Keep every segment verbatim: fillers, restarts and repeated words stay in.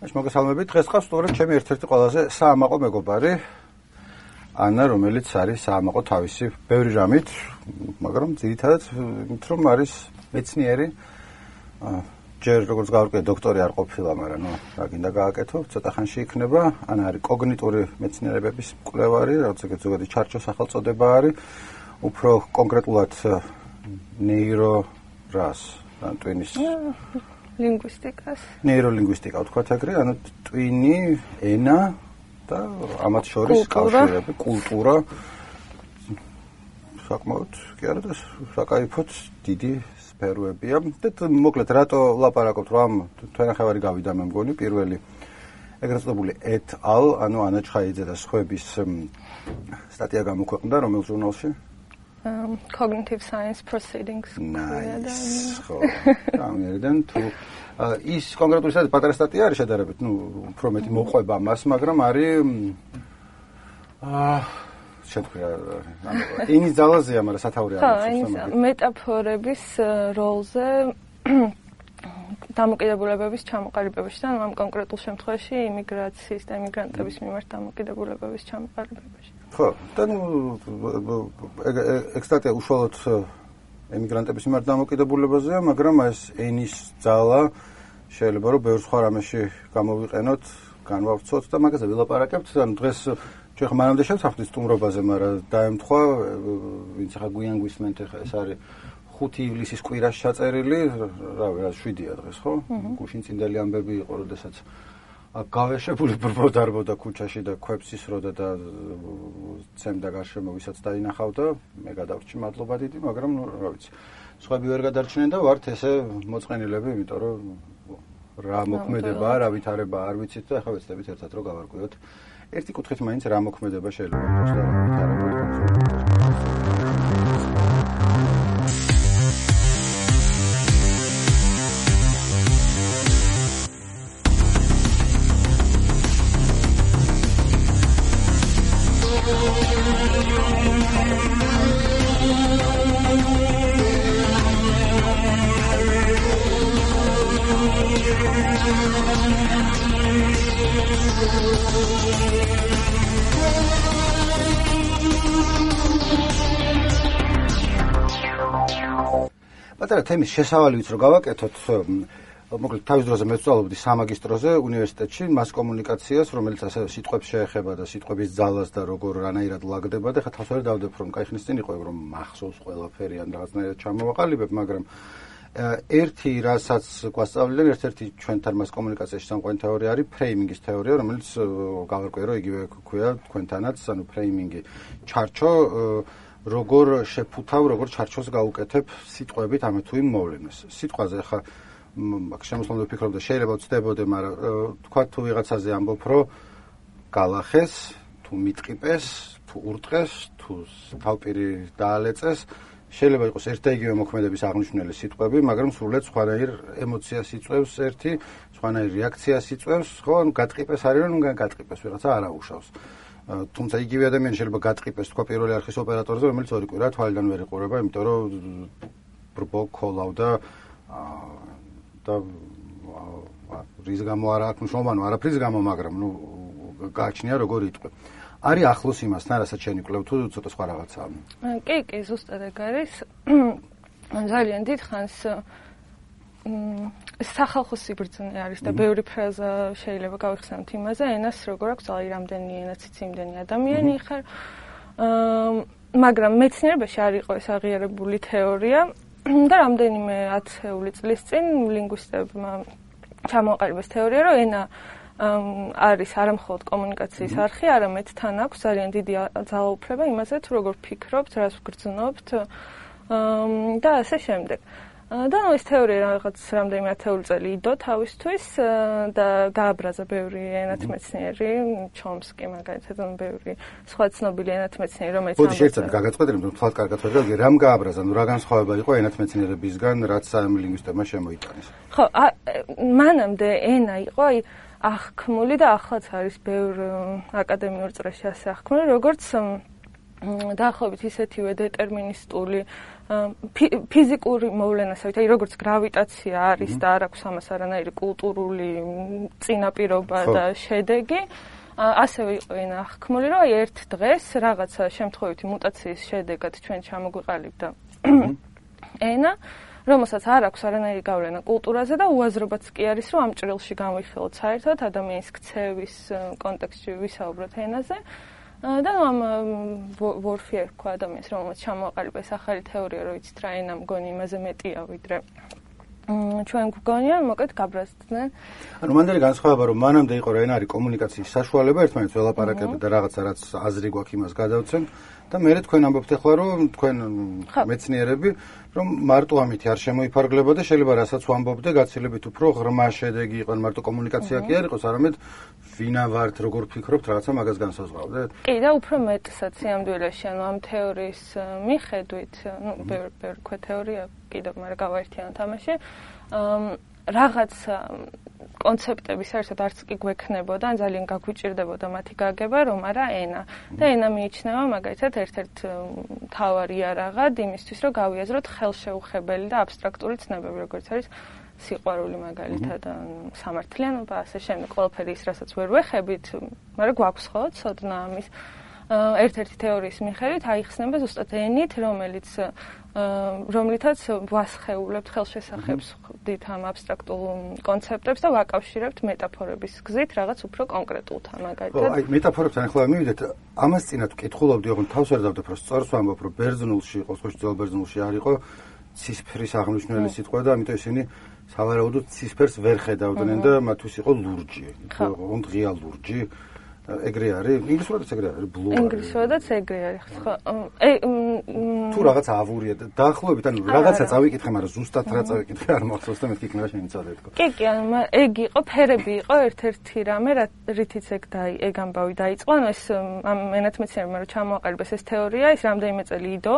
ეს მოგესალმებით. დღეს ყავს სწორედ ჩემი ერთ-ერთი ყველაზე საამაყო მეგობარი ანა, რომელიც არის საამაყო თავისი ბევრი რამით, მაგრამ ძირითადად იმით რომ არის მეცნიერი. ჯერ როგორც გავარკვიე დოქტორი არ ყოფილა, მაგრამ ნუ რა გინდა გააკეთო, ცოტა ხანში იქნება. ანა არის კოგნიტური მეცნიერებების მკვლევარი, რაც ეგეთ ზოგადი ჩარჩოს სახელწოდება არის. უფრო კონკრეტულად ნეირორას, ან ტვინის ლინგვისტიკას. ნეიროლინგვისტიკა ვთქვათ ეგრე, ანუ ტვინი, ენა და ამათ შორის კავშირები, კულტურა. საკმაოდ კი არა და საკაიფოდ დიდი სფეროებია. და მოკლედ რატო ვლაპარაკობთ, რომ თვენახევარი გავიდა მე მგონი პირველი ეგრეთ წოდებული et al, ანუ ანა ჩხაიძე და სხვების სტატია გამოქვეყნდა რომელ ჟურნალში? Um, cognitive science proceedings. Nice. ხო. ამერიდან თუ ის კონკრეტული სტატია პატარა სტატია არის შედარებით, ნუ უფრო მეტი მოყვება მას, მაგრამ არის აა შეთქვია ანუ ენის ძალაზეა, მაგრამ სათაური არის. ხო, მეტაფორების როლზე დამოკიდებულებების ჩამოყალიბებაში და ამ კონკრეტულ შემთხვევაში იმიგრაციის და იმიგრანტების მიმართ დამოკიდებულებების ჩამოყალიბებაში. ხო, და ნუ ეგ სტატია უშუალოდ ემიგრანტების მიმართ დამოკიდებულებაზეა, მაგრამ ეს ენის ძალა შეიძლება რომ ბევრ სხვა რამეში გამოვიყენოთ, განვავრცოთ და მაგაზე ვილაპარაკებთ. ანუ დღეს ჩვენ ხომ მანამდე შევსახდით სტუმრობაზე, მაგრამ დაემთხვა, ვინც ახლა გვიან გვისმენთ, ახლა ეს არის ხუთი ივლისის კვირაში ჩაწერილი, რავი, რა შვიდია დღეს, ხო? გუშინ წინდელი ამბები იყო, როდესაც გავეშებული ბრბოდარბოდა ქუჩაში და ქვებს ისროდა და ცემდა გარშემო, ვისაც დაინახავდა, მე გადავრჩი მადლობა დიდი, მაგრამ ნუ რა ვიცი, სხვები ვერ გადარჩნენ და ვართ ესე მოწყენილები, იმიტომ რომ რა მოქმედებაა, რა ვითარებაა არ ვიცით და ახლა ვეცდებით ერთად რომ გავარკვიოთ. ერთი კუთხით მაინც რა მოქმედება შეიძლება იყოს და რა ვითარება. პატარა თემის შესავალი ვიც რო გავაკეთოთ, მოკლედ თავის დროზე მე ვსწავლობდი სამაგისტროზე უნივერსიტეტში მას კომუნიკაციას, რომელიც ასე სიტყვებს შეეხება და სიტყვების ძალას და როგორ რანაირად ლაგდება და ხა თავს ვერ დავდებ რომ კაი ხნის წინ იყო რომ მახსოვს ყველაფერი ან რაღაცნაირად ჩამოვაყალიბებ, მაგრამ ერთი რასაც გვასწავლდნენ, ერთ-ერთი ჩვენთან მას კომუნიკაციაში სამყარო თეორია არის ფრეიმინგის თეორია, რომელიც გავარკვიე რომ იგივე ქვია თქვენთანაც, ანუ ფრეიმინგი ჩარჩო როგორ შეფუთავ, როგორ ჩარჩოს გაუკეთებ სიტყვებით ამე თუ იმ მოვლენას. სიტყვაზე ხა აქ შემოსვლამდე ვფიქრობ და შეიძლება ვწდებოდე, მაგრამ თქვა თუ ვიღაცაზე ამბობ, რომ გალახეს, თუ მიტყიპეს, თუ ურტყეს, თუ თავპირი დაალეწეს, შეიძლება იყოს ერთ და იგივე მოქმედების აღნიშნული სიტყვები, მაგრამ სრულიად სხვანაირ ემოციას იწვევს ერთი, სხვანაირ რეაქციას იწვევს, ხო, ანუ გატყიპეს არის, რომ გატყიპეს ვიღაცა არ აუშავს. თუმცა იგივე ადამიანი შეიძლება გატყიპეს თქვა პირველი არხის ოპერატორზე, რომელიც ორი კვირა თვალიდან ვერ იყურება, იმიტომ რომ ბრბო ქოლავდა და რის გამო არა აქვს მნიშვნელობა, ანუ არაფრის გამო, მაგრამ ნუ გააჩნია როგორ იტყვი. არის ახლოს იმასთან, რასაც შენ იკვლევ თუ ცოტა სხვა რაღაცაა? კი, კი, ზუსტად ეგ არის. ძალიან დიდ ხანს სახალხო სიბრძნე არის და ბევრი ფრაზა შეიძლება გავიხსენოთ იმაზე, ენას როგორ აქვს, აი რამდენი ენაც იცი, იმდენი ადამიანი ხარ. მაგრამ მეცნიერებაში არ იყო ეს აღიარებული თეორია და რამდენიმე ათეული წლის წინ ლინგვისტებმა ჩამოაყალიბეს თეორია, რომ ენა არის არა მხოლოდ კომუნიკაციის არხი, არამედ თან აქვს ძალიან დიდი ძალაუფლება იმაზე, თუ როგორ ფიქრობთ, რას ვგრძნობთ და ასე შემდეგ. და ნუ ეს თეორია რაღაც რამდენიმე ათეული წელი იდო თავისთვის და გააბრაზა ბევრი ენათმეცნიერი, ჩომსკი მაგალითად, ან ბევრი სხვა ცნობილი ენათმეცნიერი, რომელიც ამბობს. ბოდიში ერთად გაგაწყვეტე, რომ თქვათ კარგად ვერ გავიგე, რამ გააბრაზა, ნუ რა განსხვავება იყო ენათმეცნიერებისგან, რაც ლინგვისტებმა შემოიტანეს. ხო, მანამდე ენა იყო, აი აღქმული და ახლაც არის ბევრ აკადემიურ წრეში ასე აღქმული, როგორც დაახლოებით ისეთივე დეტერმინისტული ფიზიკური მოვლენასავით, აი როგორც გრავიტაცია არის და არ აქვს ამას არანაირი კულტურული წინაპირობა და შედეგი, ასევე იყო ენა აღქმული, რომ აი ერთ დღეს რაღაცა შემთხვევითი მუტაციის შედეგად ჩვენ ჩამოგვიყალიბდა ენა, რომელსაც არ აქვს არანაირი გავლენა კულტურაზე და უაზრობაც კი არის, რომ ამ ჭრილში განვიხილოთ საერთოდ ადამიანის ქცევის კონტექსტში ვისაუბროთ ენაზე. და ამ ვორფი ერქვა ადამიანს, რომელსაც ჩამოაყალიბა ეს ახალი თეორია, რომ იცით რა ენა მგონი იმაზე მეტია, ვიდრე ჩვენ გვგონიან, მოკლედ გაბრაზდნენ. ანუ მანდელი განსხვავება, რომ მანამდე იყო რა ენა არის კომუნიკაციის საშუალება, ერთმანეთს ველაპარაკებთ და რაღაცა რაც აზრი გვაქვს იმას გადავცემ და მე თქვენ ამბობთ ახლა, რომ თქვენ მეცნიერები, რომ მარტო ამით არ შემოიფარგლება და შეიძლება რასაც ვამბობდე, გაცილებით უფრო ღრმა შედეგი იყო, მარტო კომუნიკაცია კი არ იყოს, არამედ ვინა ვართ, როგორ ფიქრობთ, რაღაცა მაგას განსაზღვრავდეთ? კი, და უფრო მეტსაც სიამდვილეში, ანუ ამ თეორიის მიხედვით, ну, ბევრი ქვე თეორია კიდევ, მაგრამ გავაერთიანოთ ამაში, რაღაც კონცეპტები საერთოდ არც კი გვექნებოდა, ან ძალიან გაგვიჭირდებოდა მათი გაგება, რომ არა ენა. და ენა მიიჩნევა მაგალითად ერთ-ერთ მთავარი იარაღად იმისთვის, რომ გავიაზროთ ხელშეუხებელი და აბსტრაქტული ცნებები, როგორც არის სიყვარული მაგალითად, სამართლიანობა, ასე შემდეგ, ყველაფერი ის, რასაც ვერ ვეხებით, მაგრამ გვაქვს ხო ცოდნა ამის. ერთ-ერთი თეორიის მიხედვით აიხსნება ზუსტად ენით, რომელიც რომლითაც ვასხეულებთ ხელშესახებს ვხდით ამ აბსტრაქტულ კონცეპტებს და ვაკავშირებთ მეტაფორების გზით რაღაც უფრო კონკრეტულთან მაგალითად. აი მეტაფორებთან ახლა მივიდეთ, ამას წინათ ვკითხულობდი, ოღონდ თავს არ დავდებ, რომ სწორს ვამბობ, რომ ბერძნულში იყო, სხვა ძველ ბერძნულში არ იყო ცისფრის აღნიშნული სიტყვა და ამიტომ ისინი სავარაუდოდ ცისფერს ვერ ხედავდნენ და მათთვის იყო ლურჯი, ოღონდ ღია ლურჯი. ეგრე არის, ინგლისურადაც ეგრე არის, ბლუ არის. ინგლისურადაც ეგრე არის, ხო. თუ რაღაც ავურია და დაახლოებით, ანუ რაღაცა წავიკითხე, მაგრამ ზუსტად რა წავიკითხე არ მახსოვს და მეთქი იქნება შემიცადე თქო. კი, კი, ანუ ეგ იყო, ფერები იყო ერთ-ერთი რამე, რითიც ეგ დაი, ეგ ამბავი დაიწყო, ანუ ეს ამ ენათმეცნიერებმა რომ ჩამოაყალიბეს ეს თეორია, ის რამდენიმე წელი იდო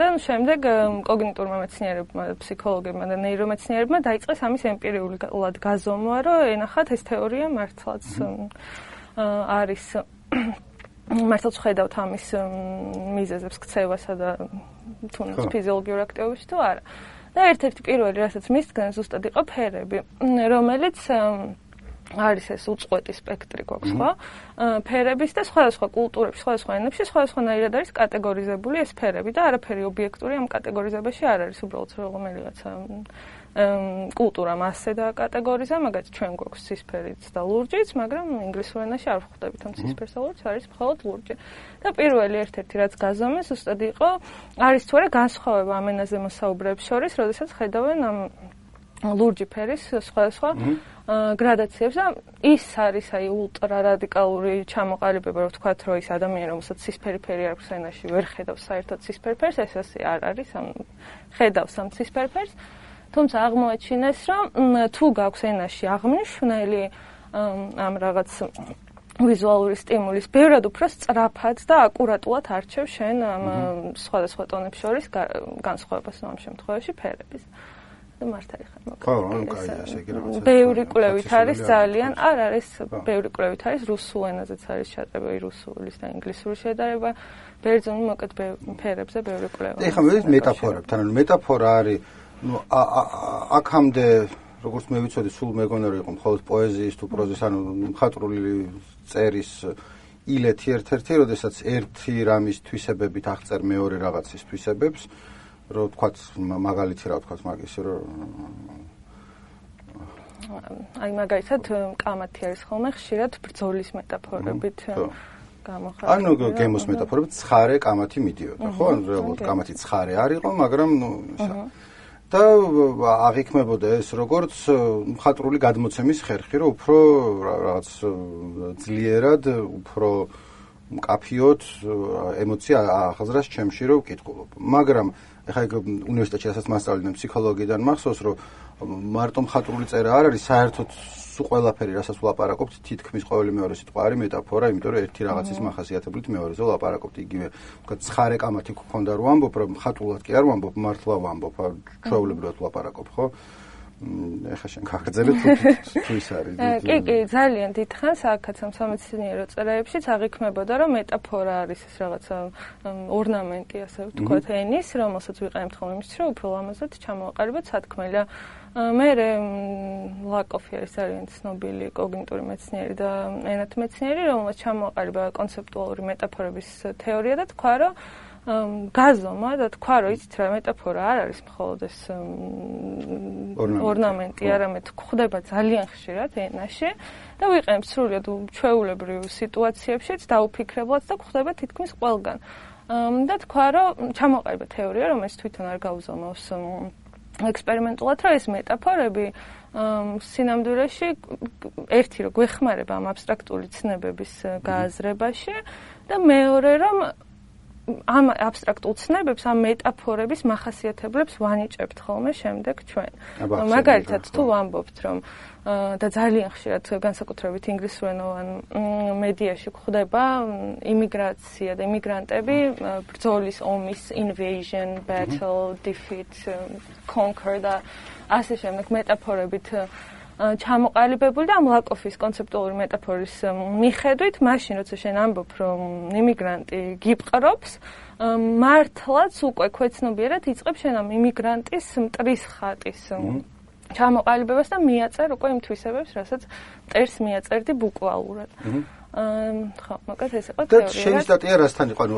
და შემდეგ კოგნიტურმა მეცნიერებმა, ფსიქოლოგებმა და ნეირომეცნიერებმა დაიწყეს ამის ემპირიულად გაზომვა, რომ ენახათ ეს თეორია მართლაც არის მართლაც ხედავთ ამის მიზეზებს ქცევასა და თუნდაც ფიზიოლოგიურ აქტივობებში თუ არა. და ერთ-ერთი პირველი, რასაც მისგან ზუსტად იყო ფერები, რომელიც არის ეს უწყვეტი სპექტრი გვაქვს, ხო? ფერების და სხვადასხვა კულტურებში, სხვადასხვა ენებში, სხვადასხვანაირად არის კატეგორიზებული ეს ფერები და არაფერი ობიექტური ამ კატეგორიზებაში არ არის, უბრალოდ რომელიღაცა კულტურამ ასე დააკატეგორიზა, მაგალითად ჩვენ გვაქვს ცისფერიც და ლურჯიც, მაგრამ ინგლისურ ენაში არ ვხვდებით ამ ცისფერს და ლურჯს, არის მხოლოდ ლურჯი. და პირველი ერთ-ერთი რაც გაზომეს, ზუსტად იყო, არის თუ არა განსხვავება ამ ენაზე მოსაუბრეებს შორის, როდესაც ხედავენ ამ ლურჯი ფერის სხვადასხვა გრადაციებს და ის არის აი ულტრა რადიკალური ჩამოყალიბება, რომ ვთქვათ, რომ ის ადამიანი, რომელსაც ცისფერი ფერი აქვს ენაში, ვერ ხედავს საერთოდ ცისფერ ფერს, ეს ასე არ არის, ამ ხედავს ამ ცისფერ ფერს. თუმცა აღმოაჩინეს, რომ თუ გაქვს ენაში აღნიშნული ამ რაღაც ვიზუალური სტიმულის, ბევრად უფრო სწრაფად და აკურატულად არჩევ შენ ამ სხვადასხვა ტონებს შორის განსხვავებას ამ შემთხვევაში ფერების. და მართალი ხარ მოკლედ. ხო, ანუ კაი, ასე იგი რაღაცა. ბევრი კვლევით არის ძალიან, არ არის, ბევრი კვლევით არის რუსულ ენაზეც არის ჩატარება, რუსულის და ინგლისურის შედარება, ბერძნულ მოკლედ ფერებზე ბევრი კვლევა. ეხლა მე მეტაფორებთან, ანუ მეტაფორა არის ну აქამდე როგორც მე ვიცოდი სულ მეგონა რომ იყო მხოლოდ პოეზიის თუ პროზის ანუ მხატვრული წერის ილეთი ერთ-ერთი, როდესაც ერთი რამის თვისებებით აღწერ მეორე რაღაცის თვისებებს, რომ თქვათ მაგალითი რა თქვათ მაგის რომ აი მაგალითად კამათი არის ხოლმე ხშირად ბრძოლის მეტაფორებით გამოხატული. ანუ გემოს მეტაფორებით ცხარე კამათი მიდიოდა, ხო? ანუ რეალურად კამათი ცხარე არ იყო, მაგრამ ნუ ისა და აღიქმებოდა ეს როგორც მხატვრული გადმოცემის ხერხი, რომ უფრო რაღაც ძლიერად, უფრო მკაფიოდ ემოცია ახაზრას ჩემში რომ ვკითხულობ. მაგრამ ეხლა ეგ უნივერსიტეტში რასაც მასწავლდნენ ფსიქოლოგიიდან მახსოვს, რომ მარტო მხატვრული წერა არ არის, საერთოდ სულ ყველაფერი, რასაც ვლაპარაკობთ, თითქმის ყოველი მეორე სიტყვა არის მეტაფორა, იმიტომ რომ ერთი რაღაცის მახასიათებლით მეორეზე ვლაპარაკობთ. იგივე, ვთქვათ, ცხარე კამათი გქონდა რომ ვამბობ, რომ მხატვრულად კი არ ვამბობ, მართლა ვამბობ, ჩვეულებრივად ვლაპარაკობ, ხო? ეხლა შენ გაგრძელებ თუ ის არის. კი, კი, ძალიან დიდხანს აქაც ამ სამეცნიერო წერაებშიც აღიქმებოდა, რომ მეტაფორა არის ეს რაღაცა ორნამენტი, ასე ვთქვათ, ენის, რომელსაც ვიყენებთ ხოლმე იმისთვის, რომ უფრო ლამაზად ჩამოვაყალიბოთ სათქმელი და მე ლაკოფი არის ძალიან ცნობილი კოგნიტური მეცნიერი და ენათმეცნიერი მეცნიერი, რომელსაც ჩამოვაყალიბა კონცეპტუალური მეტაფორების თეორია და თქვა, რომ გაზომა და თქვა, რომ იცით რა მეტაფორა არ არის მხოლოდ ეს ორნამენტი, არამედ გვხვდება ძალიან ხშირად ენაში და ვიყენებთ სრულიად ჩვეულებრივ სიტუაციებშიც დაუფიქრებლად და გვხვდება თითქმის ყველგან. და თქვა, რომ ჩამოვაყალიბა თეორია, რომელიც თვითონ არ გაუზომავს ექსპერიმენტულად, რომ ეს მეტაფორები სინამდვილეში ერთი რომ გვეხმარება ამ აბსტრაქტული ცნებების გააზრებაში და მეორე რომ ამ აბსტრაქტულ ცნებებს, ამ მეტაფორების მახასიათებლებს ვანიჭებთ ხოლმე შემდეგ ჩვენ. მაგალითად, თუ ვამბობთ, რომ და ძალიან ხშირად განსაკუთრებით ინგლისურენოვან მედიაში გვხვდება იმიგრაცია და იმიგრანტები ბრძოლის ომის invasion, battle, defeat, conquer და ასე შემდეგ მეტაფორებით ჩამოყალიბებული და ამ ლაკოფის კონცეპტუალური მეტაფორის მიხედვით, მაშინ როცა შენ ამბობ, რომ იმიგრანტი გიპყრობს, მართლაც უკვე ქვეცნობიერად იწყებს შენ ამ იმიგრანტის მტრის ხატის ჩამოყალიბებას და მიაწერ უკვე იმ თვისებებს, რასაც მტერს მიაწერდი ბუკვალურად. ხო, მაგათ ეს იყო თეორია. და შენი სტატია რასთან იყო? ანუ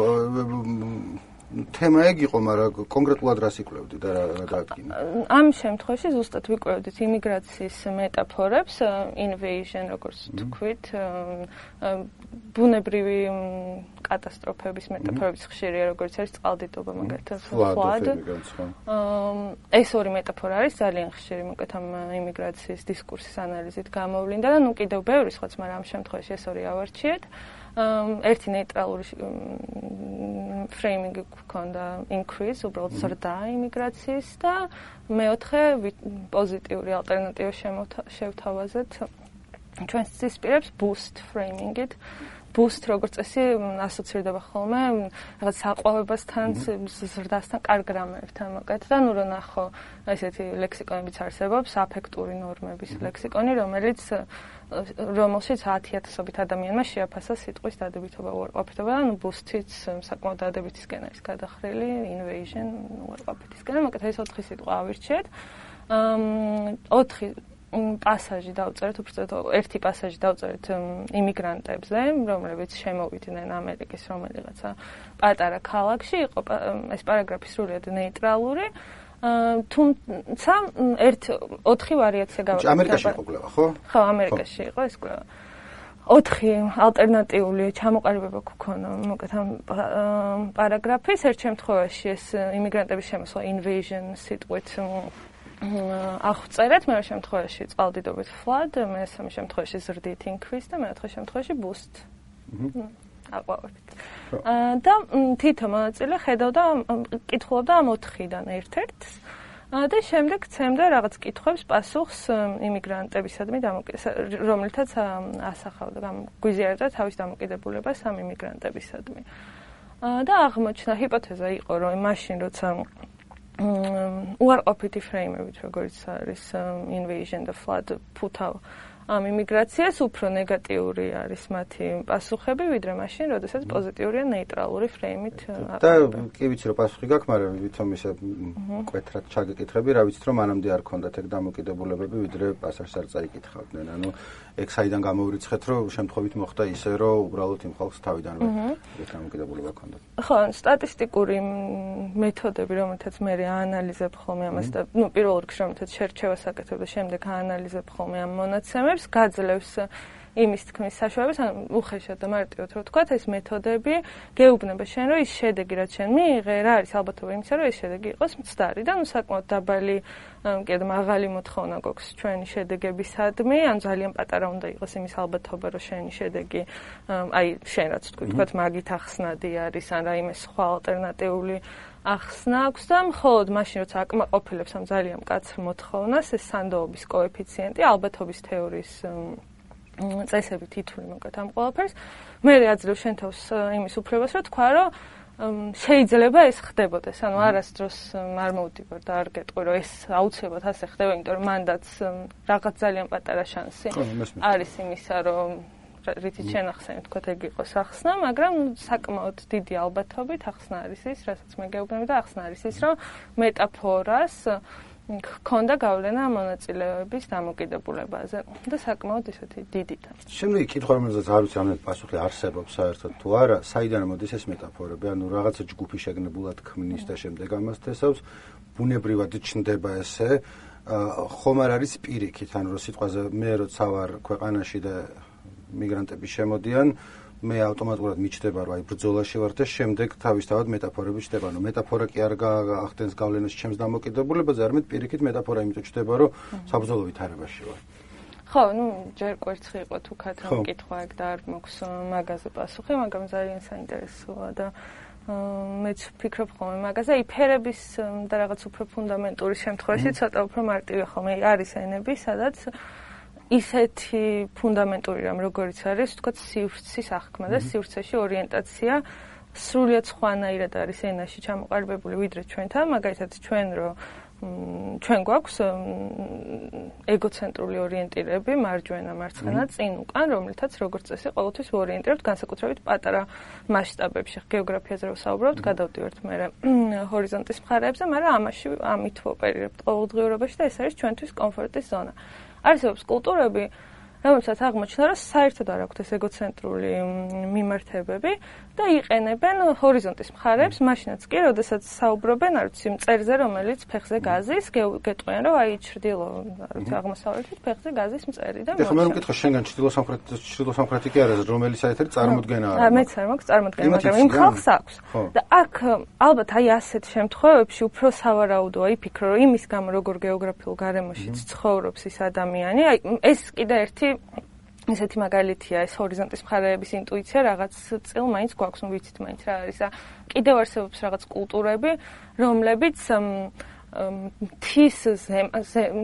თემა ეგ იყო, მაგრამ კონკრეტულად რას იკვლევდი და რა დაადგინა? ამ შემთხვევაში ზუსტად ვიკვლევდით იმიგრაციის მეტაფორებს, invasion, როგორც თქვით, ბუნებრივი კატასტროფების მეტაფორების ხშირია, როგორც არის წყალდიდობა, მაგალითად, flood. ეს ორი მეტაფორა არის ძალიან ხშირი, მოკლედ ამ იმიგრაციის დისკურსის ანალიზით გამოვლინდა და ნუ კიდევ ბევრი სხვაც, მაგრამ ამ შემთხვევაში ეს ორი ავარჩიეთ. ერთი ნეიტრალური ფრეიმინგი გვქონდა increase, უბრალოდ ზრდა იმიგრაციის და მეოთხე პოზიტიური ალტერნატივა შევთავაზეთ ჩვენს ცისპირებს boost frame-ით. boost როგორც წესი ასოცირდება ხოლმე რაღაც საყვავებასთან, ზრდასთან, კარგ რამებთან, მოკლედ და ნუ რო ნახო ესეთი ლექსიკონებიც არსებობს, აფექტური ნორმების ლექსიკონი, რომელიც რომელშიც ათი ათასობით ადამიანმა შეაფასა სიტყვის დადებითობა, უარყოფითობა და ნუ boost-იც საკმაოდ დადებითისკენ არის გადახრილი, invasion, უარყოფითისკენ, მოკლედ ეს ოთხი სიტყვა ავირჩიეთ. ოთხი პასაჟი დავწერეთ, უბრალოდ ერთი პასაჟი დავწერეთ იმიგრანტებზე, რომლებიც შემოვიდნენ ამერიკის რომელიღაცა პატარა ქალაქში, იყო ეს პარაგრაფი სრულიად ნეიტრალური. თუმცა ერთ ოთხი ვარიაცია გავაკეთე. ამერიკაში იყო კვლევა, ხო? ხო, ამერიკაში იყო ეს კვლევა. ოთხი ალტერნატიული ჩამოყალიბება გქონა, მოკლედ ამ პარაგრაფის ერთ შემთხვევაში ეს იმიგრანტების შემოსვლა invasion სიტყვით აღწერეთ, მეორე შემთხვევაში წყალდიდობით flood, მესამე შემთხვევაში ზრდით increase და მეოთხე შემთხვევაში boost. აყვავებით. და თითო მონაწილე ხედავდა, კითხულობდა ამ ოთხიდან ერთ-ერთს და შემდეგ ცემდა რაღაც კითხვებს პასუხს იმიგრანტებისადმი, რომლითაც ასახავდა, გვიზიარებდა თავის დამოკიდებულებას ამ იმიგრანტებისადმი. და აღმოჩნდა ჰიპოთეზა იყო, რომ მაშინ როცა უარყოფითი ფრეიმებით, როგორც არის invasion და flood ფუთავ ამ იმიგრაციას, უფრო ნეგატიური არის მათი პასუხები, ვიდრე მაშინ, როდესაც პოზიტიურია ნეიტრალური ფრეიმით. და კი ვიცი, რომ პასუხი გაქვს, მაგრამ ვითომ ისე მკვეთრად ჩაგეკითხები, რა ვიცით, რომ მანამდე არ ქონდათ ეგ დამოკიდებულებები, ვიდრე პასაჟს არ წაიკითხავდნენ. ანუ ეგ საიდან გამოვრიცხეთ, რომ შემთხვევით მოხდა ისე, რომ უბრალოდ იმ ხალხს თავიდანვე ეგ დამოკიდებულება ქონდათ. ხო, სტატისტიკური მეთოდები, რომელთაც მე აანალიზებ ხოლმე ამას და ნუ პირველ რიგში რომელთაც შერჩევას აკეთებ და შემდეგ აანალიზებ ხოლმე ამ მონაცემებს, გაძლევს იმის თქმის საშუალებას, ანუ უხეშად და მარტივად რო ვთქვათ, ეს მეთოდები გეუბნება შენ, რომ ის შედეგი, რაც შენ მიიღე, რა არის ალბათობა იმისა, რომ ეს შედეგი იყოს მცდარი და ნუ საკმაოდ დაბალი, კიდე მაღალი მოთხოვნა გვაქვს ჩვენი შედეგებისადმი, ან ძალიან პატარა უნდა იყოს იმის ალბათობა, რომ შენი შედეგი, აი შენ რაც ვთქვათ, მაგით ახსნადი არის, ან რაიმე სხვა ალტერნატიული ახსნა აქვს და მხოლოდ მაშინ, როცა აკმაყოფილებს ამ ძალიან მკაცრ მოთხოვნას, ეს სანდოობის კოეფიციენტი ალბათობის თეორიის წესებით ითვლი მოკლედ ამ ყველაფერს. მე აძლევ შენ თავს იმის უფლებას, რომ თქვა, რომ შეიძლება ეს ხდებოდეს, ანუ არასდროს არ მოვდივარ და არ გეტყვი, რომ ეს აუცილებლად ასე ხდება, იმიტომ რომ მანდაც რაღაც ძალიან პატარა შანსი არის იმისა, რომ რითიც შენახსენე, თქვათ, ეგ იყოს ახსნა, მაგრამ საკმაოდ დიდი ალბათობით ახსნა არის ის, რასაც მე გეუბნები და ახსნა არის ის, რომ მეტაფორას ქონდა გავლენა მონაწილეების დამოკიდებულებაზე და საკმაოდ ისეთი დიდი და. შემდეგი კითხვა, რომელზეც არ ვიცი ამით პასუხი არსებობს საერთოდ თუ არა, საიდან მოდის ეს მეტაფორები? ანუ რაღაცა ჯგუფი შეგნებულად ქმნის და შემდეგ ამას თესავს, ბუნებრივად ჩნდება ესე, ხომ არ არის პირიქით, ანუ რომ სიტყვაზე მე როცა ვარ ქვეყანაში და მიგრანტები შემოდიან, მე ავტომატურად მიჩნდება, რომ აი ბრძოლაში ვარ და შემდეგ თავისთავად მეტაფორები ჩნდება. ანუ მეტაფორა კი არ გაახდენს გავლენას ჩემს დამოკიდებულებაზე, არამედ პირიქით მეტაფორა იმიტომ ჩნდება, რომ საბრძოლო ვითარებაში ვარ. ხო, ну, ჯერ კვერცხი იყო თუ ქათამ კითხვა ეგ და არ მოქვს მაგაზე პასუხი, მაგრამ ძალიან საინტერესოა და მეც ვფიქრობ ხოლმე მაგაზე. აი ფერების და რაღაც უფრო ფუნდამენტური შემთხვევაში ცოტა უფრო მარტივია ხოლმე. არის ენები, სადაც ისეთი ფუნდამენტური რამ, როგორიც არის, თქვათ, სივრცის აღქმა და სივრცეში ორიენტაცია სრულიად სხვანაირად არის ენაში ჩამოყალიბებული ვიდრე ჩვენთან, მაგალითად ჩვენ რო ჩვენ გვაქვს ეგოცენტრული ორიენტირები, მარჯვენა, მარცხენა, წინ უკან, რომლითაც როგორც წესი ყოველთვის ვორიენტირებთ განსაკუთრებით პატარა მასშტაბებში, გეოგრაფიაზე რო ვსაუბრობთ, გადავდივართ მე ჰორიზონტის მხარეებზე, მაგრამ ამაში ამით ვოპერირებთ ყოველდღიურობაში და ეს არის ჩვენთვის კომფორტის ზონა. არსებობს კულტურები, რომელსაც აღმოჩნდა, რომ საერთოდ არ აქვთ ეს ეგოცენტრული მიმართებები და იყენებენ ჰორიზონტის მხარებს, მაშინაც კი, როდესაც საუბრობენ, არ ვიცი, მწერზე, რომელიც ფეხზე გაზის, გეტყვიან, რომ აი ჩრდილო, არ ვიცი, აღმოსავლეთით ფეხზე გაზის მწერი და მოხდა. ეხლა მე მეკითხა შენგან ჩრდილო-სამხრეთი ჩრდილო-სამხრეთი კი არა, რომელიც საერთოდ წარმოდგენა არა. მეც არ მაქვს წარმოდგენა, მაგრამ იმ ხალხს აქვს. და აქ ალბათ აი ასეთ შემთხვევებში უფრო სავარაუდოა იფიქრო, რომ იმის გამო როგორ გეოგრაფიულ გარემოშიც ცხოვრობს ის ადამიანი, აი ეს კიდე ერთი ესეთი მაგალითია, ეს ჰორიზონტის მხარეების ინტუიცია რაღაც წილ მაინც გვაქვს, ნუ ვიცით მაინც რა არის და კიდევ არსებობს რაღაც კულტურები, რომლებიც მთის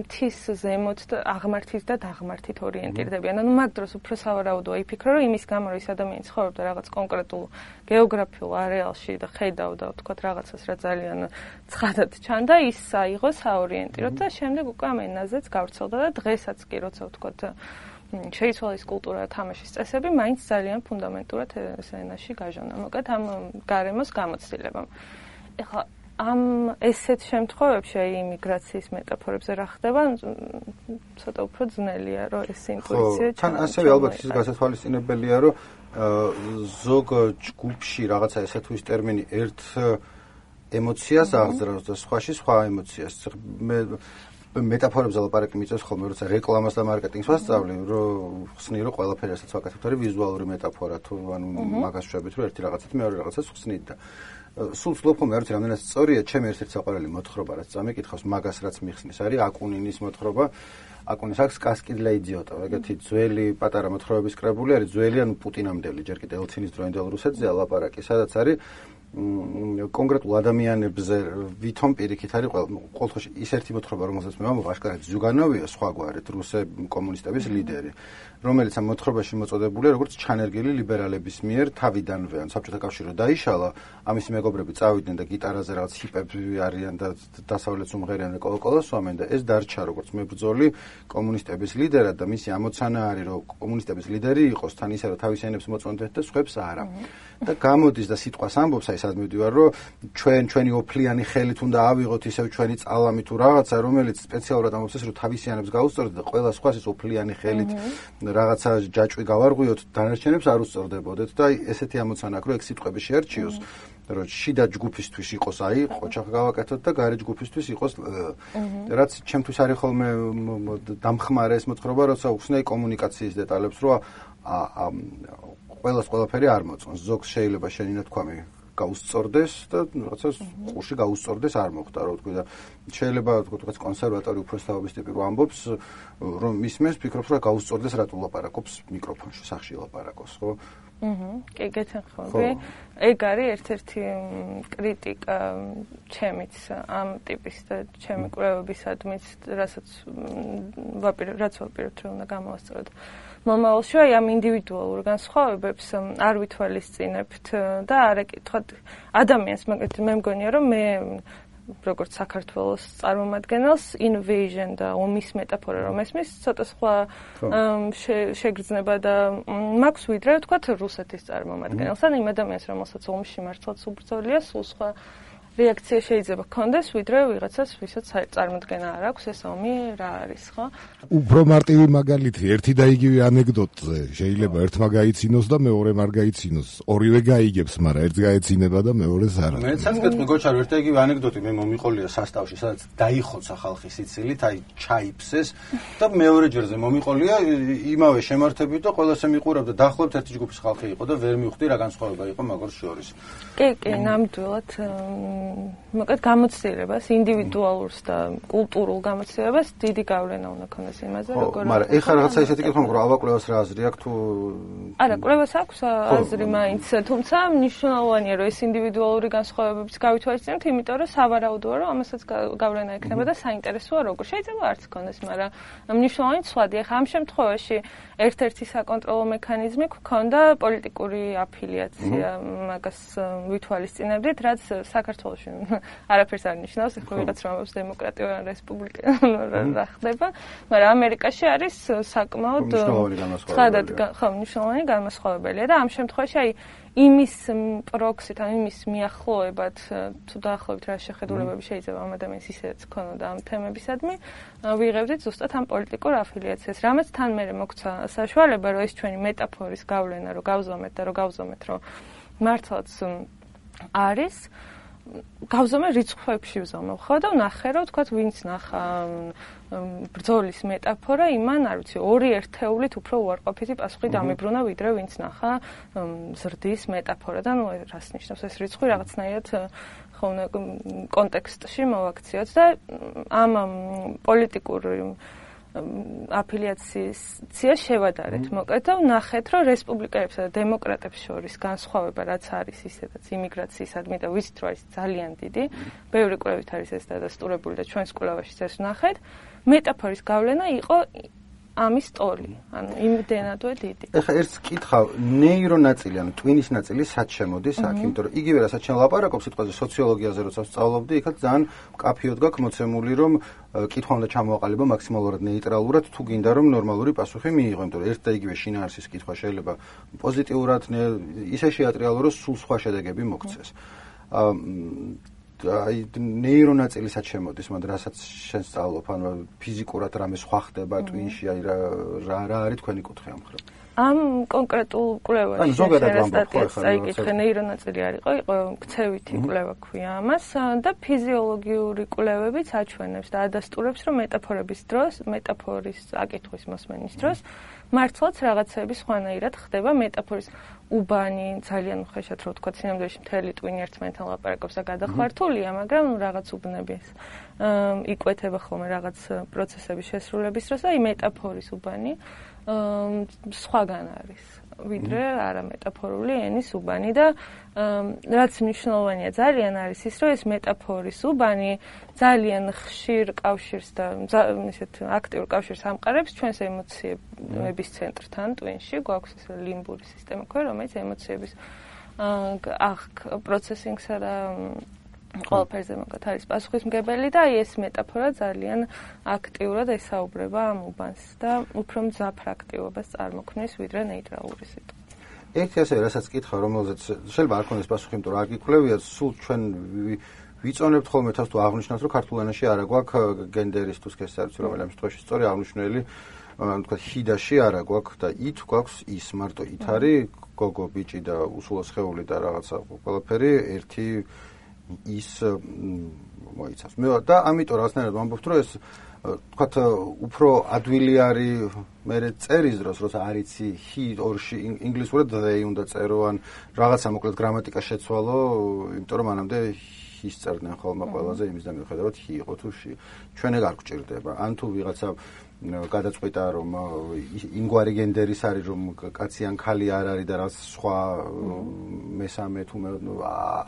მთის ზემოთ და აღმართით და დაღმართით ორიენტირდებიან. ანუ მაგ დროს უფრო სავარაუდოა იფიქრო, რომ იმის გამო რომ ის ადამიანი ცხოვრობდა რაღაც კონკრეტულ გეოგრაფიულ არეალში და ხედავდა, ვთქვათ, რაღაცას რა ძალიან ცხადად ჩანდა, ის აიღო საორიენტიროდ და შემდეგ უკვე ამ ენაზეც გავრცელდა და დღესაც კი როცა ვთქვათ შეიცვალა ის კულტურა და თამაშის წესები, მაინც ძალიან ფუნდამენტურად ეს ენაში გაჟონა. მოკლედ ამ გარემოს გამოცდილებამ. ეხლა ამ ესეთ შემთხვევებში აი იმიგრაციის მეტაფორებზე რა ხდება, ცოტა უფრო ძნელია, რომ ეს ინტუიცია ჩა. თან ასევე ალბათ ის გასათვალისწინებელია, რომ ზოგ ჯგუფში რაღაცა ესე თუ ის ტერმინი ერთ ემოციას აღძრავს და სხვაში სხვა ემოციას. მე მეტაფორებზე ლაპარაკი მიწევს ხოლმე, როცა რეკლამას და მარკეტინგს ვასწავლი, რომ ხსნი რომ ყველაფერი ასაც ვაკეთებთ, არის ვიზუალური მეტაფორა თუ ანუ მაგას შვებით, რომ ერთი რაღაცით მეორე რაღაცას ხსნით და სულ ვცდილობ ხოლმე, არ ვიცი, რამდენად სწორია, ჩემი ერთ-ერთი საყვარელი მოთხრობა, რაც წამიკითხავს, მაგას რაც მიხსნის, არის აკუნინის მოთხრობა. აკუნის აქვს კასკი для идиота, ეგეთი ძველი პატარა მოთხრობების კრებული არის, ძველი ანუ პუტინამდელი, ჯერ კიდევ ელცინის დროინდელ რუსეთზეა ლაპარაკი, სადაც არის კონკრეტულ ადამიანებზე ვითომ პირიქით არის ყოველთვის ის ერთი მოთხრობა, რომელსაც მე ვამბობ, აშკარად ზუგანოვია სხვაგვარად რუსე კომუნისტების ლიდერი, რომელიც ამ მოთხრობაში მოწოდებულია როგორც ჩანერგილი ლიბერალების მიერ თავიდანვე, ან საბჭოთა კავშირი დაიშალა, ამისი მეგობრები წავიდნენ და გიტარაზე რაღაც ჰიპები არიან და დასავლეთ უმღერიან და კოლოკოლას სვამენ და ეს დარჩა როგორც მებრძოლი კომუნისტების ლიდერად და მისი ამოცანა არის, რომ კომუნისტების ლიდერი იყოს თან ისე, რომ თავის ენებს მოწონდეთ და სხვებს არა. და გამოდის და სიტყვას ამბობს, აი სადმე ვდივარ, რომ ჩვენ ჩვენი ოფლიანი ხელით უნდა ავიღოთ ისევ ჩვენი წალამი თუ რაღაცა, რომელიც სპეციალურად ამბობს ეს, რომ თავისიანებს გაუსწორდეთ და ყველა სხვას ეს ოფლიანი ხელით რაღაცა ჯაჭვი გავარღვიოთ, დანარჩენებს არ უსწორდებოდეთ და აი ესეთი ამოცანა აქვს, რომ ეგ სიტყვები შეერჩიოს, რომ შიდა ჯგუფისთვის იყოს აი ყოჩახ გავაკეთოთ და გარე ჯგუფისთვის იყოს რაც ჩემთვის არის ხოლმე დამხმარე ეს მოთხრობა, როცა უხსნაი კომუნიკაციის დეტალებს, რომ ყველას ყველაფერი არ მოწონს. ზოგს შეიძლება შენი ნათქვამი გაუსწორდეს და რაღაცა ყურში გაუსწორდეს არ მოხდა, რო ვთქვი და შეიძლება ვთქვათ კონსერვატორი უფროსთაობის ტიპი რო ამბობს, რომ ისმენს, ფიქრობს, რომ გაუსწორდეს რატო ლაპარაკობს მიკროფონში, სახში ლაპარაკობს, ხო? აჰა, კი გეთანხმები. ეგ არის ერთ-ერთი კრიტიკა ჩემიც ამ ტიპის და ჩემი კვლევებისადმიც, რასაც ვაპირებ, რაც ვაპირებთ, რომ უნდა გამოვასწოროთ. მომავალში აი ამ ინდივიდუალურ განსხვავებებს არ ვითვალისწინებთ და არ ეკითხოთ ადამიანს, მაგალითად მე მგონია რომ მე როგორც საქართველოს წარმომადგენელს invasion და ომის მეტაფორა რომ ესმის ცოტა სხვა შეგრძნება და მაქვს ვიდრე ვთქვათ რუსეთის წარმომადგენელს ან იმ ადამიანს რომელსაც ომში მართლაც უბრძოლია სულ სხვა რეაქცია შეიძლება გქონდეს ვიდრე ვიღაცას ვისაც წარმოდგენა არ აქვს ეს ომი რა არის ხო უფრო მარტივი მაგალითი ერთი და იგივე ანეკდოტზე შეიძლება ერთმა გაიცინოს და მეორემ არ გაიცინოს ორივე გაიგებს მაგრამ ერთს გაეცინება და მეორეს არა მეც გეტყვი გოჩარო ერთი და იგივე ანეკდოტი მე მომიყოლია სასტავში სადაც დაიხოცა ხალხი სიცილით აი ჩაიფსეს და მეორე ჯერზე მომიყოლია იმავე შემართებით და ყველას ემიყურებდა დაახლოებით ერთი ჯგუფის ხალხი იყო და ვერ მივხვდი რა განსხვავება იყო მაგას შორის კი კი ნამდვილად მოკლედ გამოცდილებას ინდივიდუალურს და კულტურულ გამოცდილებას დიდი გავლენა უნდა ქონდეს იმაზე როგორ მაგრამ ეხლა რაღაცა ისეთი კითხვა მოგრო ალბაკვლევას რა აზრი აქვს თუ არა კვლევას აქვს აზრი მაინც თუმცა მნიშვნელოვანია რომ ეს ინდივიდუალური განსხვავებებიც გავითვალისწინოთ იმიტომ რომ სავარაუდოა რომ ამასაც გავლენა ექნება და საინტერესოა როგორ შეიძლება არც ქონდეს მაგრამ მნიშვნელოვანი ცვლადია ხა ამ შემთხვევაში ერთ-ერთი საკონტროლო მექანიზმი გქონდა პოლიტიკური αφილიაცია მაგას ვითვალისწინებდით რაც საქართველოში არაფერს არ ნიშნავს ხო ვიღაც რომელს დემოკრატია ან რესპუბლიკა რა ხდება მაგრამ ამერიკაში არის საკმაოდ ხადად ხო მნიშვნელოვანი განმასხვავებელია და ამ შემთხვევაში აი იმის პროქსით ან იმის მიახლოებად თუ დაახლოებით რა შეხედულებები შეიძლება ამ ადამიანს ისედაც ქონოდა ამ თემებისადმი ვიღებდით ზუსტად ამ პოლიტიკურ αφილიაციას რამაც თან მერე მოგვცა საშუალება რომ ეს ჩვენი მეტაფორის გავლენა რომ გავზომეთ და რომ გავზომეთ რომ მართლაც არის გავზომე რიცხვებში ვზომებ ხო და ვნახე რომ თქვათ ვინც ნახა ბრძოლის მეტაფორა იმან არ ვიცი ორი ერთეულით უფრო უარყოფითი პასუხი დამიბრუნა ვიდრე ვინც ნახა ზრდის მეტაფორა და ნუ რას ნიშნავს ეს რიცხვი რაღაცნაირად ხო კონტექსტში მოვაქციოთ და ამ პოლიტიკური აფილიაცია შევადარეთ მოკლედ და ვნახეთ რომ რესპუბლიკელებსა და დემოკრატებს შორის განსხვავება რაც არის ისედაც იმიგრაციისადმი და ვიცით რომ არის ძალიან დიდი ბევრი კვლევით არის ეს დადასტურებული და ჩვენს კვლევაშიც ეს ვნახეთ მეტაფორის გავლენა იყო ამის ტოლი ანუ იმდენადვე დიდი ეხლა ერთს კითხავ ნეირონაწილი ანუ ტვინის ნაწილი სად შემოდის აქ იმიტომ რომ იგივე რასაც ჩვენ ლაპარაკობ სიტყვაზე სოციოლოგიაზე როცა ვსწავლობდი იქაც ძალიან მკაფიოდ გაქვს მოცემული რომ კითხვა უნდა ჩამოაყალიბო მაქსიმალურად ნეიტრალურად თუ გინდა რომ ნორმალური პასუხი მიიღო იმიტომ რომ ერთ და იგივე შინაარსის კითხვა შეიძლება პოზიტიურად ისე შეატრიალო რომ სულ სხვა შედეგები მოქცეს აი ნეირონაწილისად შემოდის, მაგრამ რასაც შენ სწავლობ, ანუ ფიზიკურად რამე სხვა ხდება ტვინში, აი რა რა არის თქვენი კუთხე ამ ხრა. ამ კონკრეტულ კვლევაში სტატიას წაიკითხე ნეირონაწილი არ იყო, იყო ქცევითი კვლევა ქვია ამას და ფიზიოლოგიური კვლევებიც აჩვენებს და ადასტურებს, რომ მეტაფორების დროს, მეტაფორის აკითხვის მოსმენის დროს მართლაც რაღაცები სხვანაირად ხდება მეტაფორის უბანი ძალიან ხეშად რო ვთქვა სინამდვილეში მთელი ტვინი ერთმანეთთან ლაპარაკობს და გადახვართულია, მაგრამ ნუ რაღაც უბნების იკვეთება ხოლმე რაღაც პროცესების შესრულების დროს და აი მეტაფორის უბანი სხვაგან არის ვიდრე არა მეტაფორული ენის უბანი და რაც მნიშვნელოვანია ძალიან არის ის რომ ეს მეტაფორის უბანი ძალიან ხშირ კავშირს და ისეთ აქტიურ კავშირს ამყარებს ჩვენს ემოციების ცენტრთან ტვინში გვაქვს ეს ლიმბური სისტემა ქვე რომელიც ემოციების ახ პროცესინგსა და ყველაფერზე მაგათ არის პასუხისმგებელი და აი ეს მეტაფორა ძალიან აქტიურად ესაუბრება ამ უბანს და უფრო მძაფრ აქტივობას წარმოქმნის ვიდრე ნეიტრალური სიტყვა. ერთი ასე რასაც კითხა რომელზეც შეიძლება არ ქონდეს პასუხი, იმიტომ რომ არ გიკვლევია, სულ ჩვენ ვიწონებთ ხოლმე თავს თუ აღნიშნავს რომ ქართულ ენაში არა გვაქვს გენდერის თუ სქესის რომელიმე შემთხვევაში სწორი აღნიშნული ანუ თქვა ჰიდაში არა გვაქვს და ით გვაქვს ის მარტო ით არის გოგო ბიჭი და უსულო სხეული და რაღაცა ყველაფერი ერთი ის მოიცავს. მე და ამიტომ რაღაცნაირად ვამბობთ რომ ეს თქვათ უფრო ადვილი არის მე წერის დროს როცა არიცი he ორში ინგლისურად they უნდა წერო ან რაღაცა მოკლედ გრამატიკა შეცვალო იმიტომ რომ მანამდე his წერდნენ ხოლმე ყველაზე იმის და მიუხედავად he იყო თუ she ჩვენ ეგ არ გვჭირდება ან თუ ვიღაცა გადაწყვიტა რომ ინგვარი გენდერის არის რომ კაცი ან ქალი არ არის და რაც სხვა მესამე თუ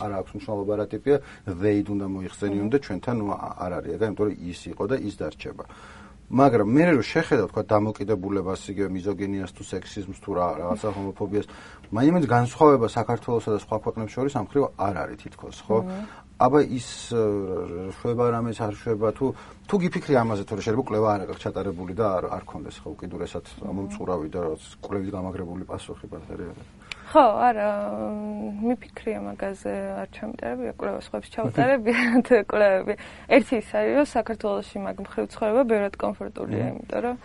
არ აქვს მნიშვნელობა რა ტიპია they უნდა მოიხსენიონ და ჩვენთან არ არის ეგა იმიტომ რომ ის იყო და ის დარჩება მაგრამ მე რო შეხედავ თქვა დამოკიდებულებას, იგივე მიზოგინიას თუ სექსიზმს თუ რაღაცა ჰომოფობიას, მაინც განსხვავება საქართველოსა და სხვა ქვეყნებს შორის ამ ხრივ არ არის თითქოს, ხო? აბა ის შვება რამეს არ შვება თუ თუ გიფიქრი ამაზე, თორე შეიძლება კვლევა არ აქვს ჩატარებული და არ არ კონდეს ხო უკიდურესად მომწურავი და რაღაც კვლევის გამაგრებული პასუხი ბატარეები. ხო, არა, მიფიქრია მაგაზე, არ ჩამიტარებია კვლევას, ხოებს ჩავტარებია თუ კვლევები. ერთი ის არის, რომ საქართველოში მაგ მხრივ ცხოვრება ბევრად კომფორტულია, იმიტომ რომ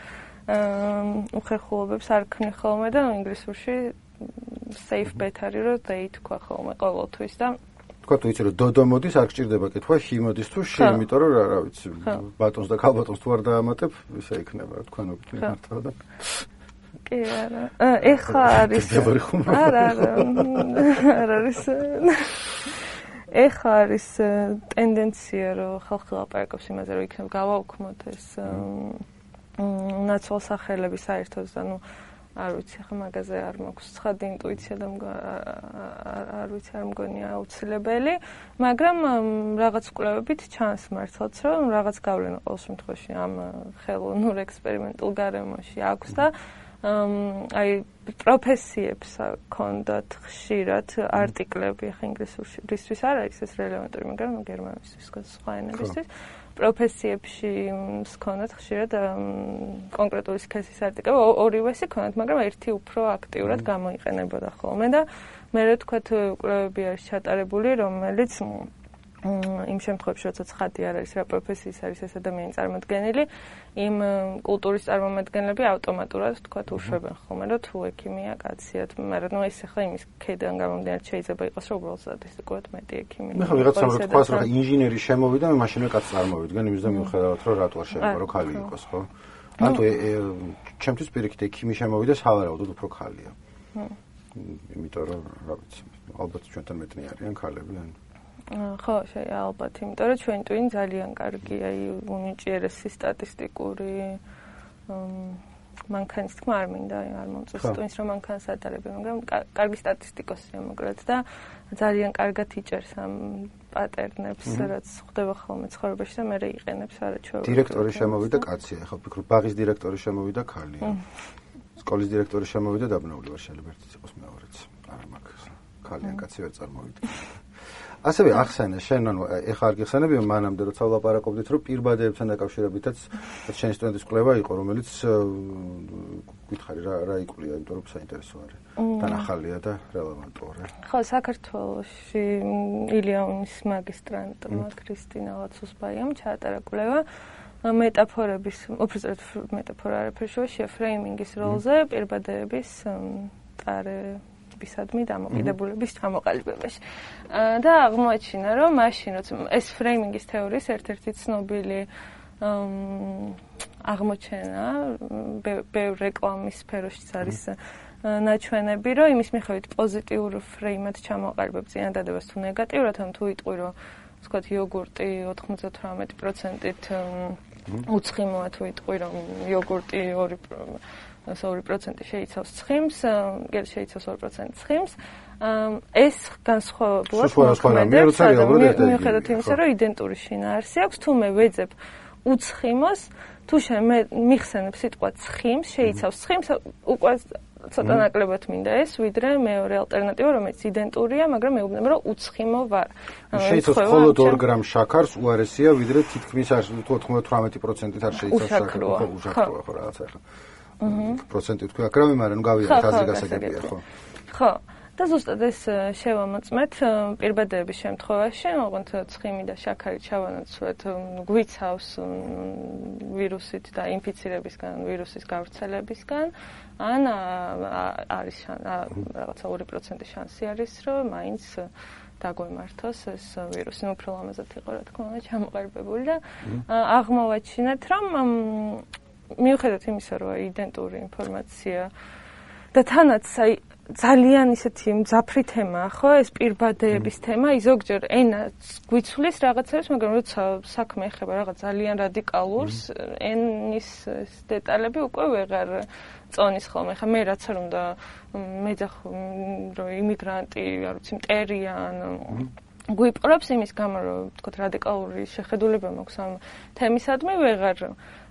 უხერხულობებს არ ქმნი ხოლმე და ინგლისურში safe bet არის, რომ they თქვა ხოლმე ყოველთვის და თქვა თუ იცი რომ დოდო მოდის, არ გჭირდება კითხვა, ჰი მოდის თუ შე, იმიტომ რომ რა ვიცი, ბატონს და ქალბატონს თუ არ დაამატებ, ისე იქნება, თქვენობით მართლა და კი არა. ეხლა არის. არა, არა. არ არის. ეხლა არის ტენდენცია, რომ ხალხი ლაპარაკობს იმაზე, რომ იქნებ გავაუქმოთ ეს ნაცვალ სახელების საერთოდ და ნუ არ ვიცი, ხა მაგაზე არ მაქვს ცხადი ინტუიცია და არ ვიცი, არ მგონია აუცილებელი, მაგრამ რაღაც კვლევებით ჩანს მართლაც, რომ რაღაც გავლენა ყოველ შემთხვევაში ამ ხელოვნურ ექსპერიმენტულ გარემოში აქვს და აი პროფესიებს ქონდათ ხშირად არტიკლები, ხა ინგლისურისთვის არ არის ეს რელევანტური, მაგრამ გერმანულისთვის, სხვა ენებისთვის პროფესიებში ქონდათ ხშირად კონკრეტული სქესის არტიკლები, ორივესი ქონდათ, მაგრამ ერთი უფრო აქტიურად გამოიყენებოდა ხოლმე და მე რა თქვა კვლევები არის ჩატარებული, რომელიც იმ შემთხვევაში, როცა ცხადი არ არის რა პროფესიის არის ეს ადამიანი წარმოდგენილი, იმ კულტურის წარმომადგენლები ავტომატურად თქვა უშვებენ ხოლმე, რომ თუ ექიმია კაციათ, მაგრამ ნუ ეს ახლა იმის ქედან გამომდინარე შეიძლება იყოს, რომ უბრალოდ სტატისტიკურად მეტი ექიმი. მე ხო ვიღაცამ რო თქვას, რომ ინჟინერი შემოვიდა, მე მაშინვე კაცს წარმოვიდგენ, იმის და მიუხედავად, რომ რატო არ შეიძლება, რომ ხალი იყოს, ხო? ანუ ჩემთვის პირიქით ექიმი შემოვიდა, სავარაუდოდ უფრო ხალია. იმიტომ რომ, რა ვიცი, ალბათ ჩვენთან მეტნი არიან ხალები, ან ხო, შეიძლება ალბათ, იმიტომ რომ ჩვენ ტვინ ძალიან კარგი, აი უნიჭიერესი სტატისტიკური მანქანის თქმა არ მინდა, არ მომწონს ტვინს რომ მანქანას ატარებენ, მაგრამ კარგი სტატისტიკოსია მოკლედ და ძალიან კარგად იჭერს ამ პატერნებს, რაც ხდება ხოლმე ცხოვრებაში და მე იყენებს არაჩვეულებრივად. დირექტორი შემოვიდა კაცია, ხო ფიქრობ, ბაღის დირექტორი შემოვიდა ხალია. სკოლის დირექტორი შემოვიდა დაბნეული ვარ, შეიძლება ერთიც იყოს მეორეც. არა მაქვს ხალიან კაცი ვერ წარმოვიდა. ასევე ახსენე შენ ანუ ეხლა არ გიხსენებია მანამდე როცა ვლაპარაკობდით რომ პირბადებთან დაკავშირებითაც შენი სტუდენტის კვლევა იყო რომელიც გითხარი რა რა იკვლია იმიტომ რომ საინტერესო არის დანახალია და რელევანტურია. ხო, საქართველოში ილიანის მაგისტრანტმა ქრისტინა ლაცუსბაიამ ჩაატარა კვლევა მეტაფორების, უბრალოდ მეტაფორა არაფერი შეშია ფრეიმინგის როლზე პირბადების ტარე ბისადმი დამოკიდებულების ჩამოყალიბებაში. და აღმოაჩინა, რომ მაშინ როცა ეს ფრეიმინგის თეორიის ერთ-ერთი ცნობილი აღმოჩენა ბევრ რეკლამის სფეროშიც არის ნაჩვენები, რომ იმის მიხედვით პოზიტიურ ფრეიმად ჩამოყალიბებ წინადადებას თუ ნეგატიურად, ან თუ იტყვი, რომ ვთქვათ, იოგურტი ოცდაოთხ პროცენტით უცხიმოა, თუ იტყვი, რომ იოგურტი ორი პროცენტი შეიცავს ცხიმს, გერ შეიცავს ორი პროცენტი ცხიმს. ეს განსხვავებულად მოქმედებს, მიუხედავად იმისა, რომ იდენტური შინაარსი აქვს, თუ მე ვეძებ უცხიმოს, თუ შენ მიხსენებ სიტყვა ცხიმს, შეიცავს ცხიმს, უკვე ცოტა ნაკლებად მინდა ეს, ვიდრე მეორე ალტერნატივა, რომელიც იდენტურია, მაგრამ მეუბნება, რომ უცხიმო ვარ. შეიცავს მხოლოდ ორ გრამ შაქარს, უარესია, ვიდრე თითქმის ოცდაოთხ პროცენტით არ შეიცავს შაქარს, ხო, უშაქროა ხო რაღაცა ახლა. პროცენტი თქვი აკრავი, მაგრამ გავიარეთ აზრი გასაგებია, ხო? ხო. და ზუსტად ეს შევამოწმეთ პირბადების შემთხვევაში, ოღონდ ცხიმი და შაქარი ჩავანაცვლეთ გვიცავს ვირუსით და ინფიცირებისგან, ვირუსის გავრცელებისგან, ან არის რაღაცა ორი პროცენტი შანსი არის, რომ მაინც დაგვემართოს ეს ვირუსი, უფრო ლამაზად იყო, რა თქმა უნდა, ჩამოყალიბებული და აღმოვაჩინეთ, რომ მიუხედავად იმისა, რომ იდენტური ინფორმაცია და თანაც აი ძალიან ისეთი მძაფრი თემაა, ხო, ეს პირბადების თემა, ზოგჯერ ენაც გვიცვლის რაღაცებს, მაგრამ როცა საქმე ეხება რაღაც ძალიან რადიკალურს, ენის დეტალები უკვე ვეღარ წონის ხოლმე. ხა მე რაც არ უნდა მეძახ რომ იმიგრანტი, არ ვიცი, მტერია ან გვიპყრობს იმის გამო, რომ თქო რადიკალური შეხედულება მაქვს ამ თემისადმი, ვეღარ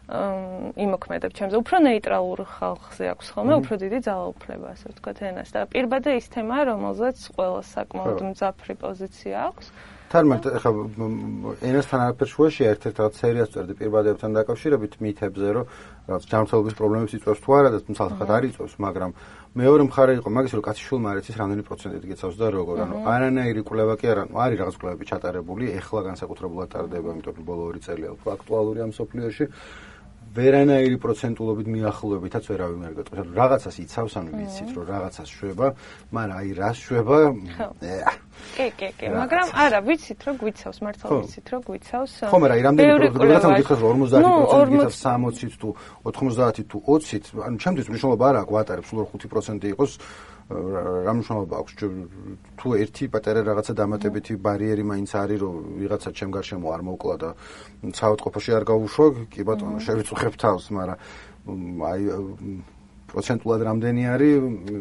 იმოქმედებ ჩემზე. უფრო ნეიტრალურ ხალხზე აქვს ხოლმე, უფრო დიდი ძალაუფლება, ასე ვთქვათ, ენას და პირბადე ის თემაა, რომელზეც ყველას საკმაოდ მძაფრი პოზიცია აქვს. თარმეთ, ეხლა ენასთან არაფერ შუაში ერთ-ერთ რაღაც სერიას წერდი პირბადებთან დაკავშირებით მითებზე, რომ რაღაც ჯანმრთელობის პრობლემებს იწვევს თუ არა და თუმცა არ იწვევს, მაგრამ მეორე მხარე იყო მაგის, რომ კაცი შულმა არ იცის რამდენი პროცენტით გიცავს და როგორ, ანუ არანაირი კვლევა კი არა, არის რაღაც კვლევები ჩატარებული, ეხლა განსაკუთრებულად ტარდება, იმიტომ რომ ბოლო ორი წელია უფრო აქტუალურია მსოფლიოში. ვერანაირი პროცენტულობით მიახლოებითაც ვერავინ არ გეტყვის. ანუ რაღაცას იცავს, ანუ ვიცით, რომ რაღაცას შვება, მაგრამ აი რას შვება? კი, კი, კი, მაგრამ არა, ვიცით, რომ გვიცავს, მართლა ვიცით, რომ გვიცავს. ხო, მაგრამ აი რამდენი პროცენტი გითხოს, რომ ორმოცდაათი პროცენტი გიცავს სამოცით თუ ოთხმოცდაათი თუ ოცით, ანუ ჩემთვის მნიშვნელობა არ აქვს, ვატარებ, სულ ხუთი პროცენტი იყოს. რა მნიშვნელობა აქვს თუ ერთი პატარა რაღაცა დამატებითი ბარიერი მაინც არის რომ ვიღაცა ჩემ გარშემო არ მოკლა და საავადმყოფოში არ გაუშვა კი ბატონო შევიწუხებ თავს მაგრამ აი პროცენტულად რამდენი არის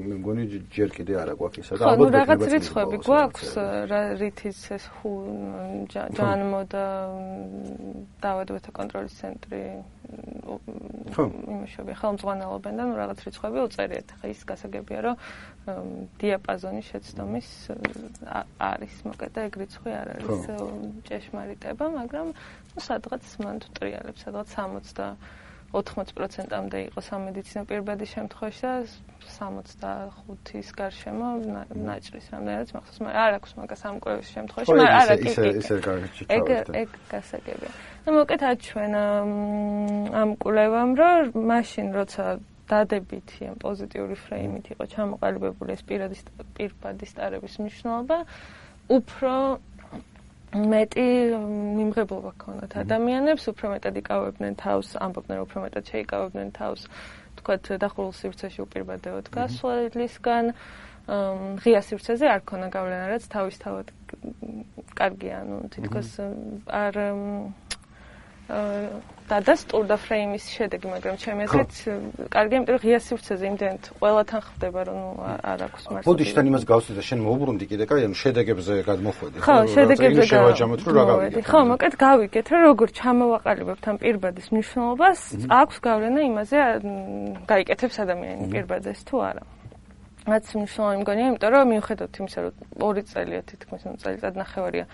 მე მგონი ჯერ კიდე არა გვაქვს ისა და ალბათ რაღაც რიცხვები გვაქვს რითიც ეს ჯანმო და დაავადებათა კონტროლის ცენტრი იმუშავე ხელმძღვანელობენ და ნუ რაღაც რიცხვები უწერიათ. ხა ის გასაგებია რომ დიაპაზონი შეცდომის არის, მოკლედ ეგ რიცხვი არ არის ჭეშმარიტება, მაგრამ ნუ სადღაც მან თუ ტრიალებს, სადღაც სამოცდაოთხ პროცენტამდე იყო სამედიცინო პირბადის შემთხვევაში და სამოცდახუთის გარშემო ნაჭრის რამდენადაც მახსოვს, მაგრამ არ აქვს მაგას ამ კვლევის შემთხვევაში, მაგრამ არა კი კი. ეგ ეგ გასაგებია. ну მოკლედ აჩვენ ამ კვლევამ რომ მაშინ როცა დადებითი ან პოზიტიური ფრეიმით იყო ჩამოყალიბებული ეს პირბადის ტარების მნიშვნელობა უფრო მეტი მიმღებლობა ჰქონდათ ადამიანებს, უფრო მეტად იკავებდნენ თავს, ამბობდნენ უფრო მეტად შეიკავებდნენ თავს, თქვათ დახურულ სივრცეში უპირბადებოდ გასვლისგან, ღია სივრცეზე არ ქონა გავლენა, რაც თავისთავად კარგია, ну თითქოს არ დადასტურდა ფრეიმის შედეგი, მაგრამ ჩემი აზრით კარგია, იმიტომ რომ ღია სივრცეზე იმდენად ყველათან ხდება, რომ ნუ არ აქვს მართლა. ბოდიშთან იმას გავსვი და შენ მოუბრუნდი კიდე, კაი, ანუ შედეგებზე გადმოხვედი. ხო, შედეგებზე შევაჯამოთ, რომ რა გავიგეთ. ხო, მოკლედ გავიგეთ, რომ როგორ ჩამოვაყალიბებთ ამ პირბადის მნიშვნელობას, აქვს გავლენა იმაზე, გაიკეთებს ადამიანი პირბადეს თუ არა. რაც მნიშვნელოვანი მგონია, იმიტომ რომ მიუხედავად იმისა, რომ ორი წელია თითქმის წელიწად ნახევარია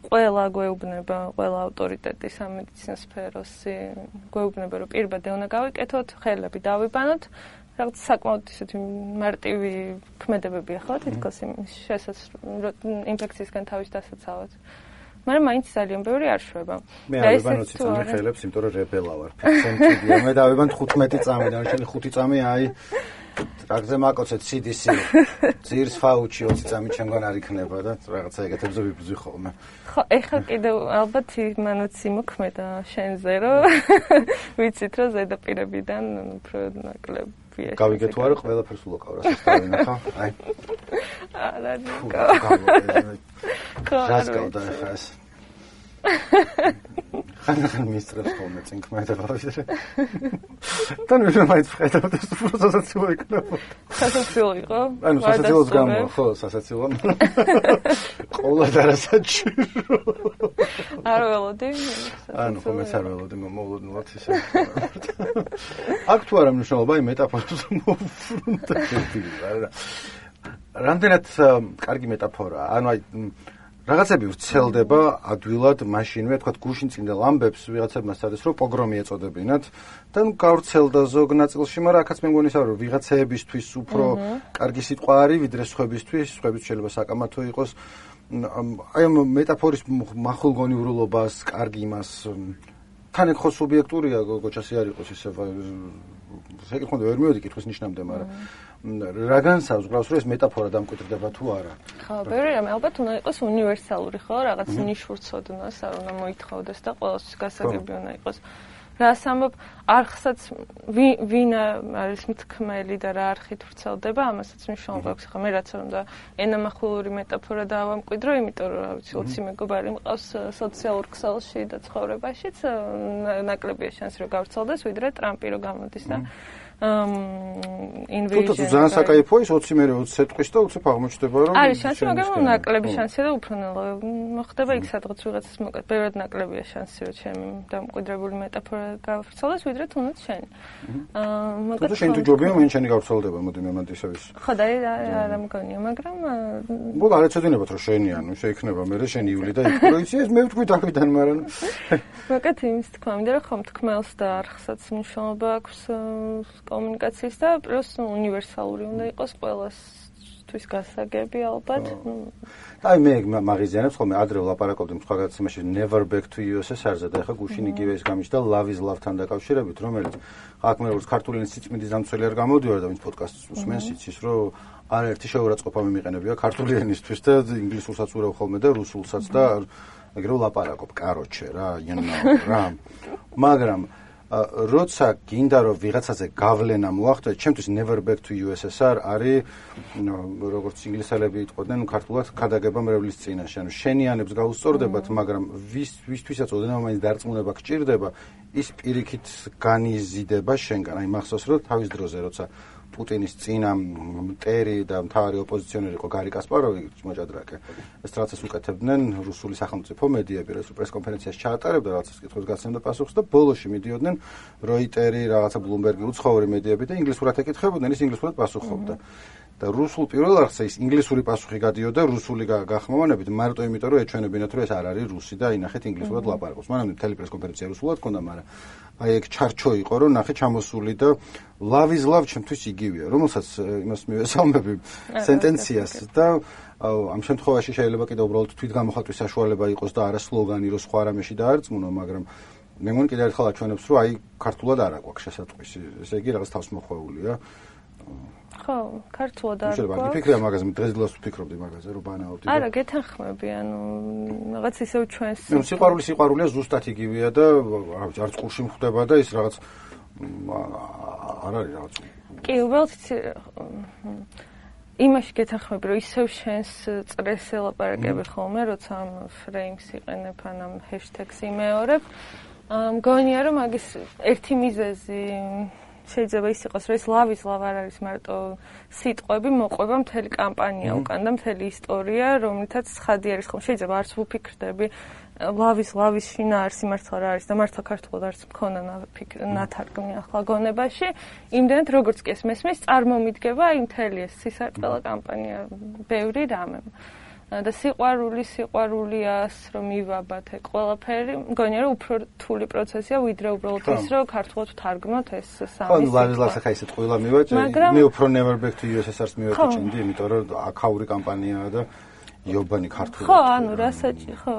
ყველა გვეუბნება, ყველა ავტორიტეტი სამედიცინო სფეროსი გვეუბნება, რომ პირბადე უნდა გავიკეთოთ, ხელები დავიბანოთ, რაღაც საკმაოდ ისეთი მარტივი ქმედებებია ხო, თითქოს იმის ინფექციისგან თავის დასაცავად. მაგრამ მაინც ძალიან ბევრი არ შვება. მე არ ვიბანოთ ცამი ხელებს, იმიტომ რომ რებელა ვარ. ფიცენტია, მე დავიბანთ ხუთმეტი წამი და შენ ხუთი წამი აი რაგზე მაკოცეთ სი დი სი ძირს ფაუჩი ოცი წამი ჩემგან არ იქნება და რაღაცა ეგეთებზე ვიბრძვი ხოლმე. ხო, ეხლა კიდევ ალბათ იმანაც იმოქმედა შენზე, რომ ვიცით რომ ზედაპირებიდან უფრო ნაკლებია. გავიგეთ თუ არა ყველაფერს ულოყავ რასაც დავინახა. აი. არა, რას გავდა ეხლა ეს? ხან მისტრებს ხოლმე წინ ქმედება ვიდრე. თან მე მაინც ვხედავ და უფრო სასაცილო იქნება. სასაცილო იყო? ანუ სასაცილოს გამო, ხო, სასაცილო. ყოლა და რასაჭირო. არ ველოდი. ანუ ხომ ეს არ ველოდი, მოულოდნელად ისე. აქ თუ არა მნიშვნელობა, აი მეტაფორას მოვუბრუნდა ერთი. რამდენად კარგი მეტაფორაა. ანუ აი რაღაცები ვრცელდება ადვილად მაშინვე, თქვათ გუშინ წინდელ ამბებს ვიღაცებმა სცადეს რომ პოგრომი ეწოდებინათ და ნუ გავრცელდა ზოგ ნაწილში, მაგრამ აქაც მე მგონი რომ ვიღაცებისთვის უფრო კარგი სიტყვა არის ვიდრე სხვებისთვის, სხვებიც შეიძლება საკამათო იყოს. აი ამ მეტაფორის მახვილგონივრულობას, კარგი იმას თან ეგ ხო სუბიექტურია, გოჩასი არ იყოს ისე შეკითხონდა ვერ მივედი კითხვის ნიშნამდე, მაგრამ რა განსავს გრავს რომ ეს მეტაფორა დამკვიდრდება თუ არა? ხო, ბევრი რამე ალბათ უნდა იყოს უნივერსალური, ხო, რაღაც ნიშურ ცოდნას არ უნდა მოითხოვდეს და ყველასთვის გასაგები უნდა იყოს. რას ამბობ, არხსაც ვინ არის მთქმელი და რა არხით ვრცელდება, ამასაც მნიშვნელობა აქვს. ხა მე რაც არ უნდა ენამახვილური მეტაფორა დავამკვიდრო, იმიტომ რომ რა ვიცი, ოცი მეგობარი მყავს სოციალურ ქსელში და ცხოვრებაშიც, ნაკლებია შანსი რომ გავრცელდეს, ვიდრე ტრამპი რომ გამოდის და invasion. თუ ძალიან საკაიფოა ის ოცი მერე ოცი ეტყვის და უცებ აღმოჩნდება რომ არის შანსი, მაგრამ ნაკლები შანსია და უფრო ნელა მოხდება იქ სადღაც ვიღაცას მოკეთ. ბევრად ნაკლებია შანსი რომ ჩემი დამკვიდრებული მეტაფორა გავრცელდეს, ვიდრე თუნდაც შენი. აა მაგრამ თუ შენ თუ ჯობია მენ შენი გავრცელდება, მოდი მე მანდ ისევის. ხო და არ ამგონია, მაგრამ მოგ არ ეცოდინებათ რომ შენი ანუ შეიქნება მე შენი ივლი და იქ რო იცი ეს მე ვთქვი დავიდან მაგრამ მაგათ იმის თქვა მინდა რომ ხომ თქმელს და არხსაც მნიშვნელობა აქვს კომუნიკაციის და პლუს უნივერსალური უნდა იყოს ყველასთვის გასაგები ალბათ. აი მე მაგიზიანებს ხოლმე ადრე ვლაპარაკობდი სხვა გადაცემაში never back to U S S R-ზე და ეხა გუშინ იგივე ის გამიჩნდა love is love-თან დაკავშირებით რომელიც აქ მე როგორც ქართული ენის სიწმინდის დამცველი არ გამოდივარ და ვინც პოდკასტს უსმენს იცის რომ არაერთი შეურაცხყოფა მიმიყენებია ქართული ენისთვის და ინგლისურსაც ურავ ხოლმე და რუსულსაც და ეგრე ვლაპარაკობ კაროჩე რა you know რა მაგრამ როცა გინდა რომ ვიღაცაზე გავლენა მოახდე, ჩემთვის never back to U S S R არის როგორც ინგლისელები იტყოდნენ, ქართულად ქადაგება მრევლის წინაშე. ანუ შენიანებს გაუსწორდებათ, მაგრამ ვის ვისთვისაც ოდნავ მაინც დარწმუნება გჭირდება, ის პირიქით განიზიდება შენგან. აი მახსოვს რომ თავის დროზე როცა პუტინის წინა მტერი და მთავარი ოპოზიციონერი იყო გარი კასპაროვი მოჭადრაკე. ეს რაღაცას უკეთებდნენ რუსული სახელმწიფო მედიები, ეს პრესკონფერენციას ჩაატარებდა, რაღაცას კითხვის გაცემდა პასუხს და ბოლოში მიდიოდნენ როიტერი, რაღაცა ბლუმბერგი, უცხოური მედიები და ინგლისურად ეკითხებოდნენ, ის ინგლისურად პასუხობდა. და რუსულ პირველ არხზე ის ინგლისური პასუხი გადიოდა რუსული გახმოვანებით, მარტო იმიტომ რომ ეჩვენებინათ რომ ეს არ არის რუსი და ინახეთ ინგლისურად ლაპარაკობს. მანამდე მთელი პრესკონფერენცია რუსულად ჰქონდა, მაგრამ აი ეგ ჩარჩო იყო რომ ნახე ჩამოსული და love is love ჩემთვის იგივეა, რომელსაც იმას მივესალმები სენტენციას და ამ შემთხვევაში შეიძლება კიდევ უბრალოდ თვითგამოხატვის საშუალება იყოს და არა სლოგანი რომ სხვა რამეში დაარწმუნო, მაგრამ მე მგონი კიდევ ერთხელ აჩვენებს რომ აი ქართულად არ აქვს შესატყვისი, ესე იგი რაღაც თავს მოხვეულია. ხო, ქართულად არ გვაქვს. შეიძლება გიფიქრია მაგაზე, დღესდღეაც ვფიქრობდი მაგაზე, რომ ბანაობდი. არა, გეთანხმები, ანუ რაღაც ისევ ჩვენს. ნუ სიყვარული სიყვარულია ზუსტად იგივეა და არც ყურში მხდება და ის რაღაც არ არის რაღაც. კი, უბრალოდ იმაში გეთანხმები, რომ ისევ შენს წრეს ელაპარაკები ხოლმე, როცა ამ ფრეიმს იყენებ, ან ამ ჰეშტეგს იმეორებ. მგონია რომ მაგის ერთი მიზეზი შეიძლება ის იყოს, რომ ეს love is love არ არის მარტო სიტყვები, მოყვება მთელი კამპანია უკან და მთელი ისტორია, რომლითაც ცხადი არის ხოლმე. შეიძლება არც ვუფიქრდები love is love is შინაარსი მართლა რა არის და მართლა ქართულად არც მქონა ნათარგმნი ახლა გონებაში. იმდენად როგორც კი ეს მესმის, წარმომიდგება აი მთელი ეს სისარტყელა კამპანია, ბევრი რამე. და სიყვარული სიყვარულიას რომ მივაბათ ეგ ყველაფერი მგონია რომ უფრო რთული პროცესია ვიდრე უბრალოდ ის რომ ქართულად ვთარგმნოთ ეს სამი სიტყვა. ხო, ლაზლას ახლა ისეთ ყველა მივაჭრე. მე უფრო never back to U S S R-ს მივაჭრე, იმიტომ რომ აქაური კამპანიაა და იობანი ქართულად. ხო, ანუ რასაჭი, ხო,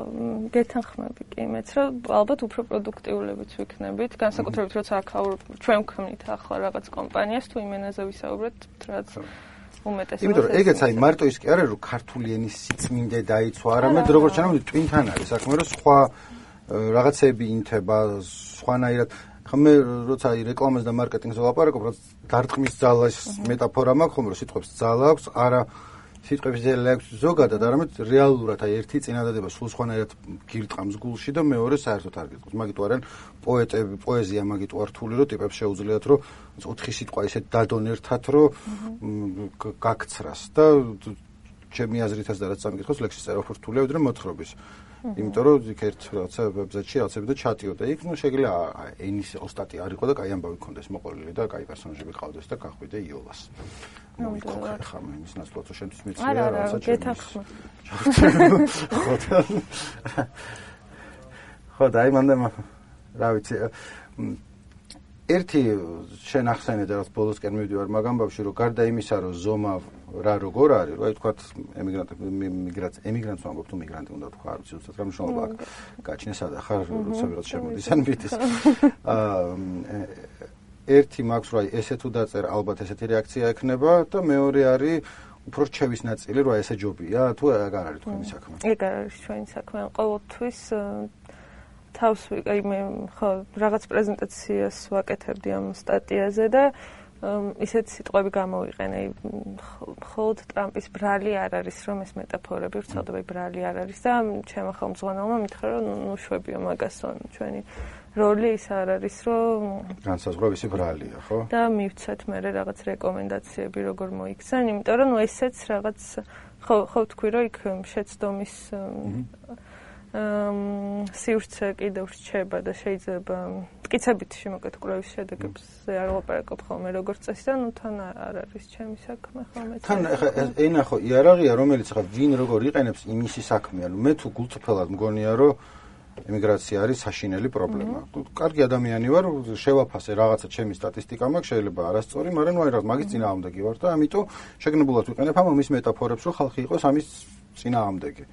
გეთანხმები კი მეც რომ ალბათ უფრო პროდუქტიულებიც ვიქნებით, განსაკუთრებით როცა აქაურ ჩვენ ვქმნით ახლა რაღაც კომპანიას თუ იმენაზე ვისაუბრეთ, რაც უმეტესად. იმიტომ რომ ეგეც აი მარტო ის კი არა რომ ქართული ენის სიწმინდე დაიცვა, არამედ როგორც ჩანამდე ტვინთან არის საქმე, რომ სხვა რაღაცები ინთება, სხვანაირად. ხა მე როცა აი რეკლამას და მარკეტინგზე ვლაპარაკობ, რომ დარტყმის ძალას მეტაფორა მაქვს, ხომ რომ სიტყვებს ძალა აქვს, არა სიტყვების ძალა აქვს ზოგადად, არამედ რეალურად აი ერთი წინადადება სულ სხვანაირად გირტყამს გულში და მეორე საერთოდ არ გირტყამს. მაგით ვარენ პოეტები, პოეზია მაგით ვარ რთული, რომ ტიპებს შეუძლიათ რომ ოთხი სიტყვა ისე დადონ ერთად, რომ გაქცრას და ჩემი აზრითაც და რაც სამკითხოს ლექსის წერა უფრო რთულია ვიდრე მოთხრობის. იმიტომ რომ იქ ერთ რაღაცა ვებზეიტში რაღაცები და ჩატიო და იქ ნუ შეგიძლია ენის ოსტატი არ იყო და კაი ამბავი ქონდეს მოყოლილი და კაი პერსონაჟები ყავდეს და გახვიდე იოლას. ნუ იქ ხა მე ის ნაცვლად შენთვის მეცია რაღაცა გეთანხმო. ხო და აი მანდ რა ვიცი ერთი შენ ახსენე და რაც ბოლოსკენ მივდივარ მაგ ამბავში რომ გარდა იმისა რომ ზომა რა როგორ არის რა თქვათ ემიგრანტები მიგრაცია ემიგრანტს ვამბობ თუ მიგრანტი უნდა თქვა არ ვიცი უცებ რა მნიშვნელობა აქვს გაჩნეს სადა ხარ როცა ვიღაც შემოდის ან მითის აა ერთი მაქვს რა ესე თუ დაწერა ალბათ ესეთი რეაქცია ექნება და მეორე არის უფრო რჩევის ნაწილი რა ესე ჯობია თუ ეგ არ არის თქვენი საქმე ეგ არ არის ჩვენი საქმე ყოველთვის თავს აი მე ხო რაღაც პრეზენტაციას ვაკეთებდი ამ სტატიაზე და ისეთი სიტყვები გამოვიყენე. მხოლოდ ტრამპის ბრალი არ არის, რომ ეს მეტაფორები ვრცელდება, ბრალი არ არის და ჩემო ხელმძღვანელმა მითხრა, რომ ნუ შვებიო მაგასო, ჩვენი როლი ის არ არის, რომ განსაზღვრა ვისი ბრალია, ხო? და მივცეთ მე რაღაც რეკომენდაციები როგორ მოიქცენ, იმიტომ რომ ნუ ესეც რაღაც ხო ხო თქვი რომ იქ შეცდომის სივრცე კიდევ რჩება და შეიძლება მტკიცებით შემოკეთ კვლევის შედეგებზე არ ვლაპარაკობ ხოლმე როგორც წესი და ნუ თან არ არის ჩემი საქმე ხოლმე. თან ეხა ენა ხო იარაღია რომელიც ხა ვინ როგორ იყენებს იმისი საქმეა. ნუ მე თუ გულწრფელად მგონია რომ ემიგრაცია არის საშინელი პრობლემა. კარგი ადამიანი ვარ, შევაფასე რაღაცა ჩემი სტატისტიკა მაქვს, შეიძლება არასწორი, მაგრამ ნუ აი რა მაგის წინააღმდეგი ვარ და ამიტომ შეგნებულად ვიყენებ ამ მის მეტაფორებს, რომ ხალხი იყოს ამის წინააღმდეგი.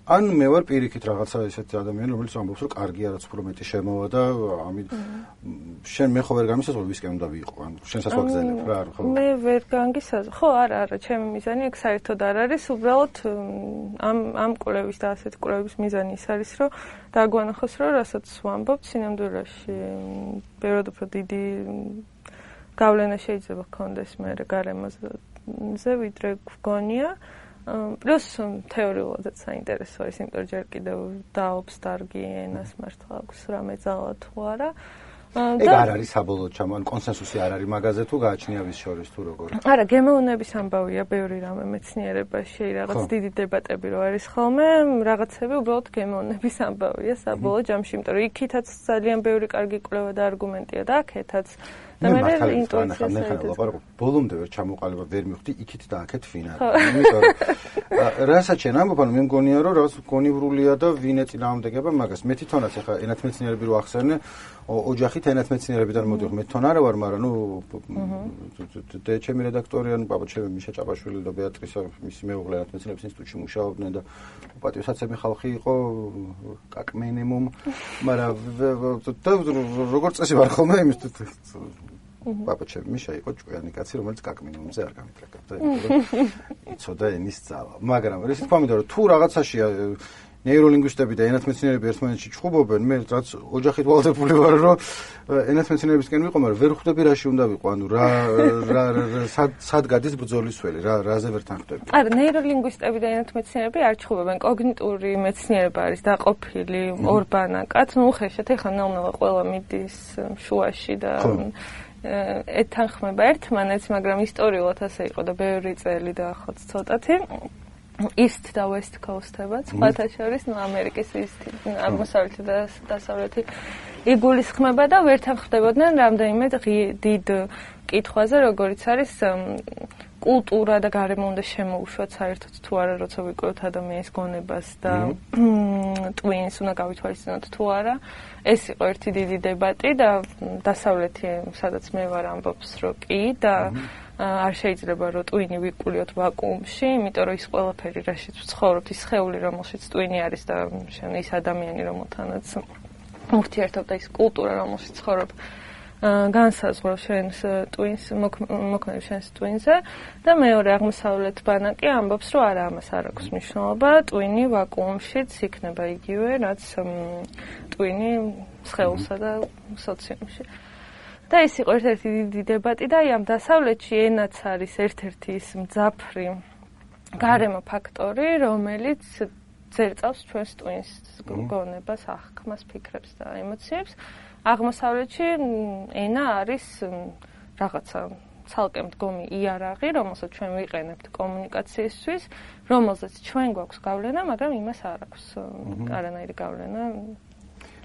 ან მე ვარ პირიქით რაღაცა ესეთი ადამიანი, რომელიც ამბობს, რომ კარგია რაც უფრო მეტი შემოვა და ამით შენ მე ხო ვერ გამისაზღვრე ვისკენ უნდა ვიყო, ან შენსაც ვაგზელებ რა არ ხო? მე ვერ განგისაზღვრე. ხო, არა, არა, ჩემი მიზანი აქ საერთოდ არ არის, უბრალოდ ამ ამ კვლევის და ასეთ კვლევის მიზანი ის არის, რომ დაგვანახოს, რომ რასაც ვამბობ სინამდვილეში ბევრად უფრო დიდი გავლენა შეიძლება ჰქონდეს მე გარემოზე, ვიდრე გგონია. პლუს თეორიულადაც საინტერესო არის, იმიტომ ჯერ კიდევ დაობს დარგი ენას მართლა აქვს რამე ძალა თუ არა. ეგ არ არის საბოლოო ჩამონ კონსენსუსი არ არის მაგაზე თუ გააჩნია ვის შორის თუ როგორ. არა, გემოვნების ამბავია ბევრი რამე მეცნიერებაში, რაღაც დიდი დებატები რო არის ხოლმე, რაღაცები უბრალოდ გემოვნების ამბავია საბოლოო ჯამში, იმიტომ რომ იქითაც ძალიან ბევრი კარგი კვლევა და არგუმენტია და აქეთაც და მე ინტუიციას ვაპარაკობ. ბოლომდე ვერ ჩამოყალიბა, ვერ მივხვდი იქით და აქეთ ვინ არის. იმიტომ რომ რასაც შენ ამბობ, ანუ მე მგონია რომ რაღაც გონივრულია და ვინ ეწინააღმდეგება მაგას. მე თვითონაც ახლა ენათმეცნიერები რო ახსენე, ოჯახით ენათმეცნიერებიდან მოდიოხ, მე თვითონ არა ვარ, მაგრამ ნუ და ჩემი რედაქტორი, ანუ პაპა ჩემი მიშა ჭაბაშვილი და ბეატრისა, მისი მეუღლე ენათმეცნიერების ინსტიტუტში მუშაობდნენ და პატივსაცემი ხალხი იყო კაკმენემუმ, მაგრამ როგორც წესი ვარ ხოლმე იმის პაპა ჩემი მიშა იყო ჭკვიანი კაცი, რომელიც კაკმენემუმზე არ გამიტრეკებდა, იმიტომ რომ იცოდა ენის ძალა. მაგრამ ისე თქვა მინდა რომ თუ რაღაცაშია ნეიროლინგვისტები და ენათმეცნიერები ერთმანეთში ჩხუბობენ, მე რაც ოჯახით ვალდებული ვარ, რომ ენათმეცნიერებისკენ ვიყო, მაგრამ ვერ ხვდები რაში უნდა ვიყო, ანუ რა რა სად გადის ბრძოლის ველი, რა რაზე ვერ თანხდები. არა, ნეიროლინგვისტები და ენათმეცნიერები არ ჩხუბობენ, კოგნიტური მეცნიერება არის დაყოფილი ორ ბანაკად, ნუ ხეშეთ ეხა ნელ-ნელა ყველა მიდის შუაში და ეთანხმება ერთმანეთს, მაგრამ ისტორიულად ასე იყო და ბევრი წელი დაახლოებით ცოტათი. East და West Coast-ებად, სხვათა შორის, ნუ ამერიკის ისეთი აღმოსავლეთი და დასავლეთი იგულისხმება და ვერ თანხმდებოდნენ რამდენიმე დიდ კითხვაზე, როგორიც არის კულტურა და გარემო უნდა შემოუშვათ საერთოდ თუ არა, როცა ვიკვლევთ ადამიანის გონებას და ტვინს უნდა გავითვალისწინოთ თუ არა. ეს იყო ერთი დიდი დებატი და დასავლეთი, სადაც მე ვარ, ამბობს, რომ კი და არ შეიძლება რომ ტვინი ვიკულიოთ ვაკუუმში, იმიტომ რომ ის ყველაფერი, რაშიც ვცხოვრობთ, ის სხეული, რომელშიც ტვინი არის და შენ ის ადამიანი, რომელთანაც ურთიერთობ და ის კულტურა, რომელშიც ცხოვრობ, განსაზღვრავს შენს ტვინს, მოქმედებს შენს ტვინზე და მეორე აღმოსავლეთ ბანაკი ამბობს, რომ არა, ამას არ აქვს მნიშვნელობა, ტვინი ვაკუუმშიც იქნება იგივე, რაც ტვინი სხეულსა და სოციუმში. და ეს იყო ერთ-ერთი დიდი დებატი და აი ამ დასავლეთში ენაც არის ერთ-ერთი ის მძაფრი გარემო ფაქტორი, რომელიც ძერწავს ჩვენს ტვინს გონებას, აღქმას, ფიქრებს და ემოციებს. აღმოსავლეთში ენა არის რაღაცა ცალკე მდგომი იარაღი, რომელსაც ჩვენ ვიყენებთ კომუნიკაციისთვის, რომელზეც ჩვენ გვაქვს გავლენა, მაგრამ იმას არ აქვს არანაირი გავლენა.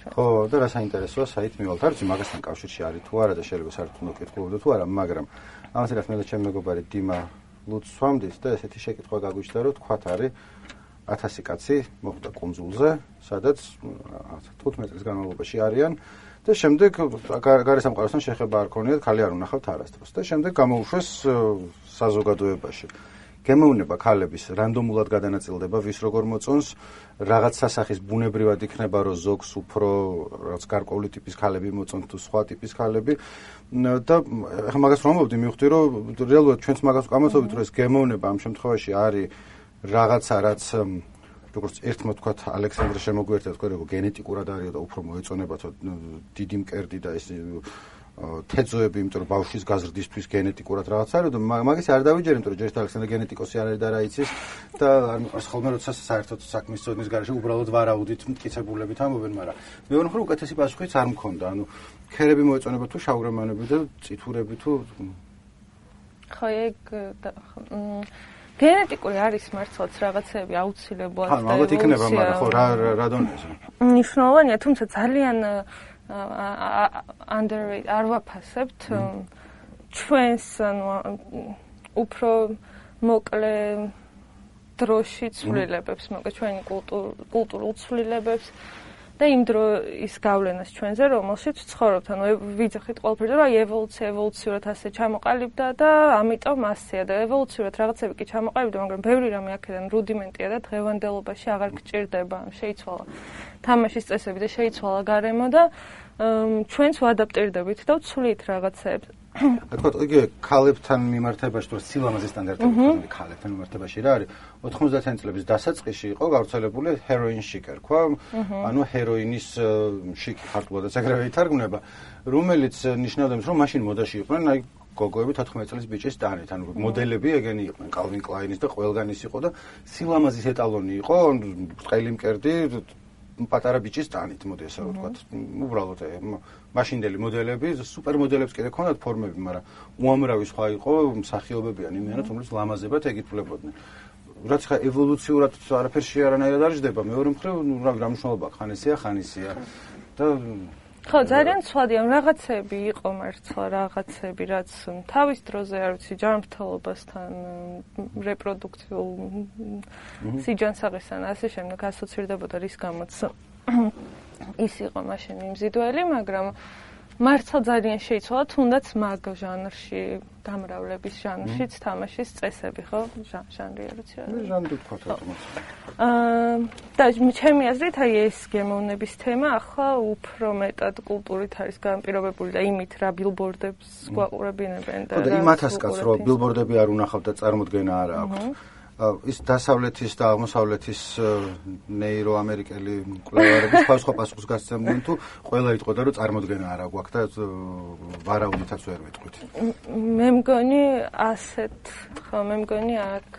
ხო, და რა საინტერესოა საით მივალთ, არ ვიცი მაგასთან კავშირში არის თუ არა და შეიძლება საერთოდ უნდა კითხულობდე თუ არა, მაგრამ ამას რაც მე და ჩემი მეგობარი დიმა ლუცს ვამდით და ესეთი შეკითხვა გაგვიჩნდა, რომ თქვათ არის ათასი კაცი მოხვდა კუნძულზე, სადაც თხუთმეტი წლის განმავლობაში არიან და შემდეგ გარესამყაროსთან შეხება არ ქონიათ, ხალი არ უნახავთ არასდროს და შემდეგ გამოუშვეს საზოგადოებაში. გემოვნება ქალების რანდომულად გადანაწილდება, ვის როგორ მოწონს, რაღაც სასახის ბუნებრივად იქნება, რომ ზოგს უფრო რაღაც გარკვეული ტიპის ქალები მოწონს თუ სხვა ტიპის ქალები და ახლა მაგას რომ ვამბობდი, მივხვდი, რომ რეალურად ჩვენც მაგას ვკამათობთ, რომ ეს გემოვნება ამ შემთხვევაში არის რაღაცა, რაც როგორც ერთმა თქვათ ალექსანდრე შემოგვიერთდა, თქვა, რომ გენეტიკურად არის და უფრო მოეწონებათ დიდი მკერდი და ეს თეძოები, იმიტომ რომ ბავშვის გაზრდისთვის გენეტიკურად რაღაც არის და მაგის არ დავიჯერე, იმიტომ რომ ჯერ ალექსანდრე გენეტიკოსი არ არის და რა იცის და არ მიყვარს ხოლმე როცა საერთოდ საქმის წოდნის გარეშე უბრალოდ ვარაუდით მტკიცებულებით ამბობენ, მაგრამ მეორე მხრივ უკეთესი პასუხიც არ მქონდა. ანუ ქერები მოეწონება თუ შავგრემანები და წითურები თუ ხო ეგ გენეტიკური არის მართლაც რაღაცები აუცილებლად და ალბათ იქნება, მაგრამ ხო რა რა დონეზე. მნიშვნელოვანია, თუმცა ძალიან underrated არ ვაფასებთ ჩვენს ანუ უფრო მოკლე დროში ცვლილებებს, მოკლედ ჩვენი კულტურულ ცვლილებებს და იმ დროის გავლენას ჩვენზე, რომელშიც ვცხოვრობთ, ანუ ვიძახით ყველაფერზე, რომ აი ევოლუცია ევოლუციურად ასე ჩამოყალიბდა და ამიტომ ასეა და ევოლუციურად რაღაცები კი ჩამოყალიბდა, მაგრამ ბევრი რამე აქედან რუდიმენტია და დღევანდელობაში აღარ გჭირდება, შეიცვალა თამაშის წესები და შეიცვალა გარემო და ჩვენც ვადაპტირდებით და ვცვლით რაღაცებს. აკეთოთ იგი ქალებთან მიმართებაში თუ სილამაზის სტანდარტები ქალებთან მიმართებაში რა არის ოთხმოცდაათიანი წლების დასაწყისში იყო გავრცელებული ჰეროინ შიკერ ქვა ანუ ჰეროინის შიკი ქართულადაც ეგრევე ითარგმნება რომელიც ნიშნავდა იმას რომ მაშინ მოდაში იყვნენ აი გოგოები თოთხმეტ წლის ბიჭის ტანით ანუ მოდელები ეგენი იყვნენ კალვინ კლაინის და ყველგანის იყო და სილამაზის ეტალონი იყო ბრტყელი მკერდი პატარა ბიჭის ტანით მოდი ასე ვთქვათ უბრალოდ მაშინდელი მოდელები სუპერმოდელებს კიდე ქონდათ ფორმები მაგრამ უამრავი სხვა იყო მსახიობები ან იმიანად რომელიც ლამაზებად ეკითხულებოდნენ რაც ხა ევოლუციურად არაფერში არანაირად არ ჯდება მეორე მხრივ რა მნიშვნელობა ხან ესეა ხან ისეა და ხო ძალიან ცვლადია რაღაცები იყო მართლა რაღაცები რაც თავის დროზე არ ვიცი ჯანმრთელობასთან რეპროდუქციულ სიჯანსაღესთან ასე შემდეგ ასოცირდებოდა რის გამოც ის იყო მაშინ მიმზიდველი მაგრამ მართლა ძალიან შეიცვალა თუნდაც მაგ ჟანრში გამრავლების ჟანრშიც თამაშის წესები ხო ჟანრი არ ვიცი რა ჟანრი თქვათ რა აა და ჩემი აზრით აი ეს გემოვნების თემა ახლა უფრო მეტად კულტურით არის განპირობებული და იმით რა ბილბორდებს გვაყურებინებენ და რა იმათაც კაც რომ ბილბორდები არ უნახავთ და წარმოდგენა არ აქვს ის დასავლეთის და აღმოსავლეთის ნეიროამერიკელი კვლევარები სხვა პასუხს გასცემდნენ თუ ყველა იტყოდა რომ წარმოდგენა არ აქვს და ვარაუდითაც ვერ ვიტყვით. მე მგონი ასეთ ხო მე მგონი აქ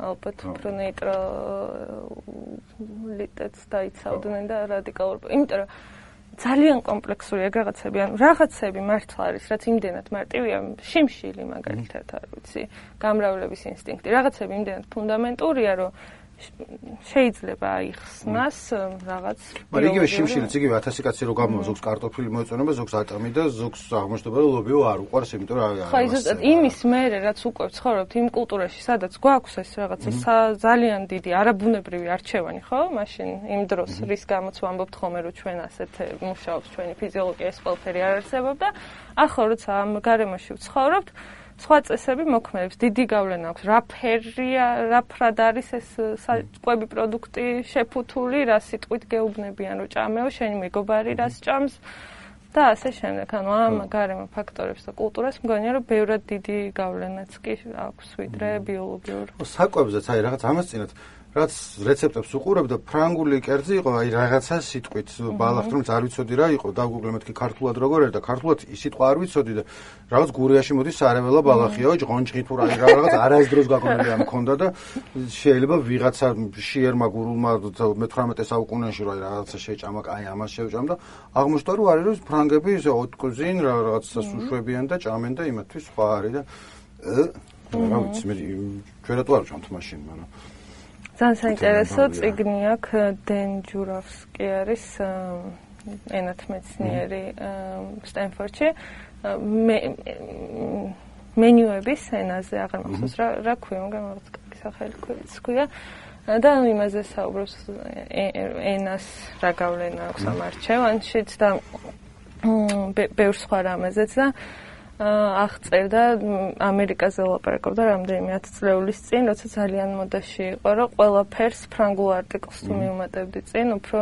ალბათ უფრო ნეიტრალიტეტს დაიცავდნენ და რადიკალურ იმიტომ რომ ძალიან კომპლექსური ეგ რაღაცები, ანუ რაღაცები მართლა არის, რაც იმდენად მარტივია, შიმშილი მაგალითად არ ვიცი, გამრავლების ინსტინქტი, რაღაცები იმდენად ფუნდამენტურია, რომ შეიძლება აიხსნას რაღაც. მაგრამ იგივე შიმშილიც იგივე ათასი კაცი რო გამოვა, ზოგს კარტოფილი მოეწონება, ზოგს ატამი და ზოგს აღმოჩნდება რომ ლობიო არ უყვარს, იმიტომ რომ ხო, ზუსტად იმის მერე რაც უკვე ცხოვრობთ იმ კულტურაში, სადაც გვაქვს ეს რაღაცა ძალიან დიდი არაბუნებრივი არჩევანი, ხო? მაშინ იმ დროს რის გამოც ვამბობთ ხოლმე რომ ჩვენ ასეთ მუშაობს ჩვენი ფიზიოლოგია ეს ყველაფერი არ არსებობდა. ახლა როცა ამ გარემოში ვცხოვრობთ სხვა წესები მოქმედებს, დიდი გავლენა აქვს. რა ფერია, რა ფრად არის ეს საკვები პროდუქტი შეფუთული, რა სიტყვით გეუბნებიან, რომ ჭამეო, შენი მეგობარი რას ჭამს და ასე შემდეგ. ანუ ამ გარემო ფაქტორებს და კულტურას მგონია, რომ ბევრად დიდი გავლენაც კი აქვს, ვიდრე ბიოლოგიურ. საკვებზეც აი რაღაც ამას წინათ რაც რეცეპტებს უყურებ და ფრანგული კერძი იყო, აი რაღაცა სიტყვით ბალახთ, რომ არ ვიცოდი რა იყო, დავგუგლე მეთქი ქართულად როგორ არის და ქართულად ის სიტყვა არ ვიცოდი და რაღაც გურიაში მოდის სარეველა ბალახიაო, ჭყონჭყი თუ რა რაღაც არასდროს გაკონილი ამ მქონდა და შეიძლება ვიღაცა შიერმა გურულმა მეთვრამეტე საუკუნეში რა რაღაცა შეჭამა, აი ამას შევჭამ და აღმოჩნდა რომ არის რომ ფრანგები ისე ოტკუზინ რაღაცას უშვებიან და ჭამენ და იმათთვის სხვა არის და რა ვიცი მე ჩვენათუ არ ვჭამთ მაშინ, მაგრამ ძალიან საინტერესო წიგნი აქვს დენ ჯურავსკი არის ენათმეცნიერი სტენფორდში მენიუების ენაზე აღარ მახსოვს რა რა ქვია მაგრამ რაღაც კარგი სახელი ქვია და იმაზე საუბრობს ენას რა გავლენა აქვს ამ არჩევანშიც და ბევრ სხვა რამეზეც და აღწერდა ამერიკაზე ლაპარაკობდა რამდენიმე ათწლეულის წინ, როცა ძალიან მოდაში იყო, რომ ყველაფერს ფრანგულ არტიკლს თუ მიუმატებდი წინ, უფრო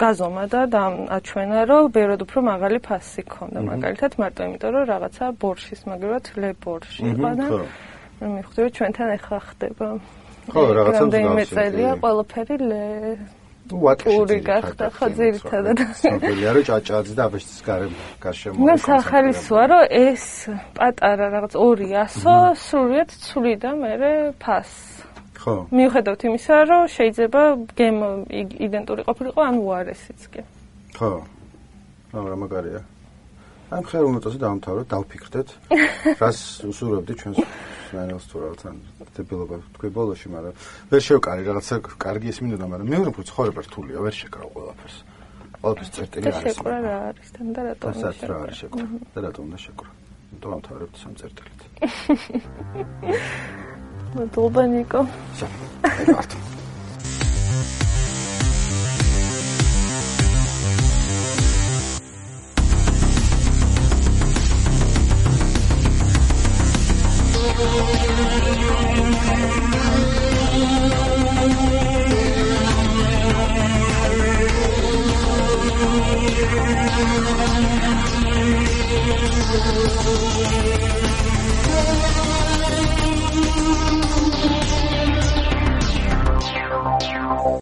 გაზომადა და აჩვენა, რომ ბევრად უფრო მაღალი ფასი ჰქონდა, მაგალითად, მარტო იმიტომ, რომ რაღაცა ბორშის, მაგალითად, ლე ბორში იყო და მივხვდი, რომ ჩვენთან ახლა ხდება. ხო, რაღაცა რამდენიმე წელია ყველაფერი ლე პური გახდა ხო ძირითადად. ცნობილია რომ ჭაჭაძე და აბეშის გარშემო. მე სახალისოა რომ ეს პატარა რაღაც ორი ასო სრულიად ცვლი და მე ფასს. ხო. მიუხედავად იმისა რომ შეიძლება გემ იდენტური ყოფილიყო ან უარესიც კი. ხო. რა მაგარია. ამ ხელოვნებას დავამთავროთ, დავფიქრდეთ. რას უსურვებდი ჩვენს მენელს თუ რაღაცა დებილობა თქვი ბოლოში, მაგრამ ვერ შევკარი რაღაცა კარგი ის მინდოდა, მაგრამ მეორე უფრო ცხოვრება რთულია, ვერ შეკრავ ყველაფერს. ყველაფერს წერტილი არის. შეკრა რა არის თან და რატომ შეკრა? რა არის შეკრა? და რატომ უნდა შეკრა? დავამთავრებთ სამ წერტილით. მადლობა ნიკო. შევკართ. Thank you.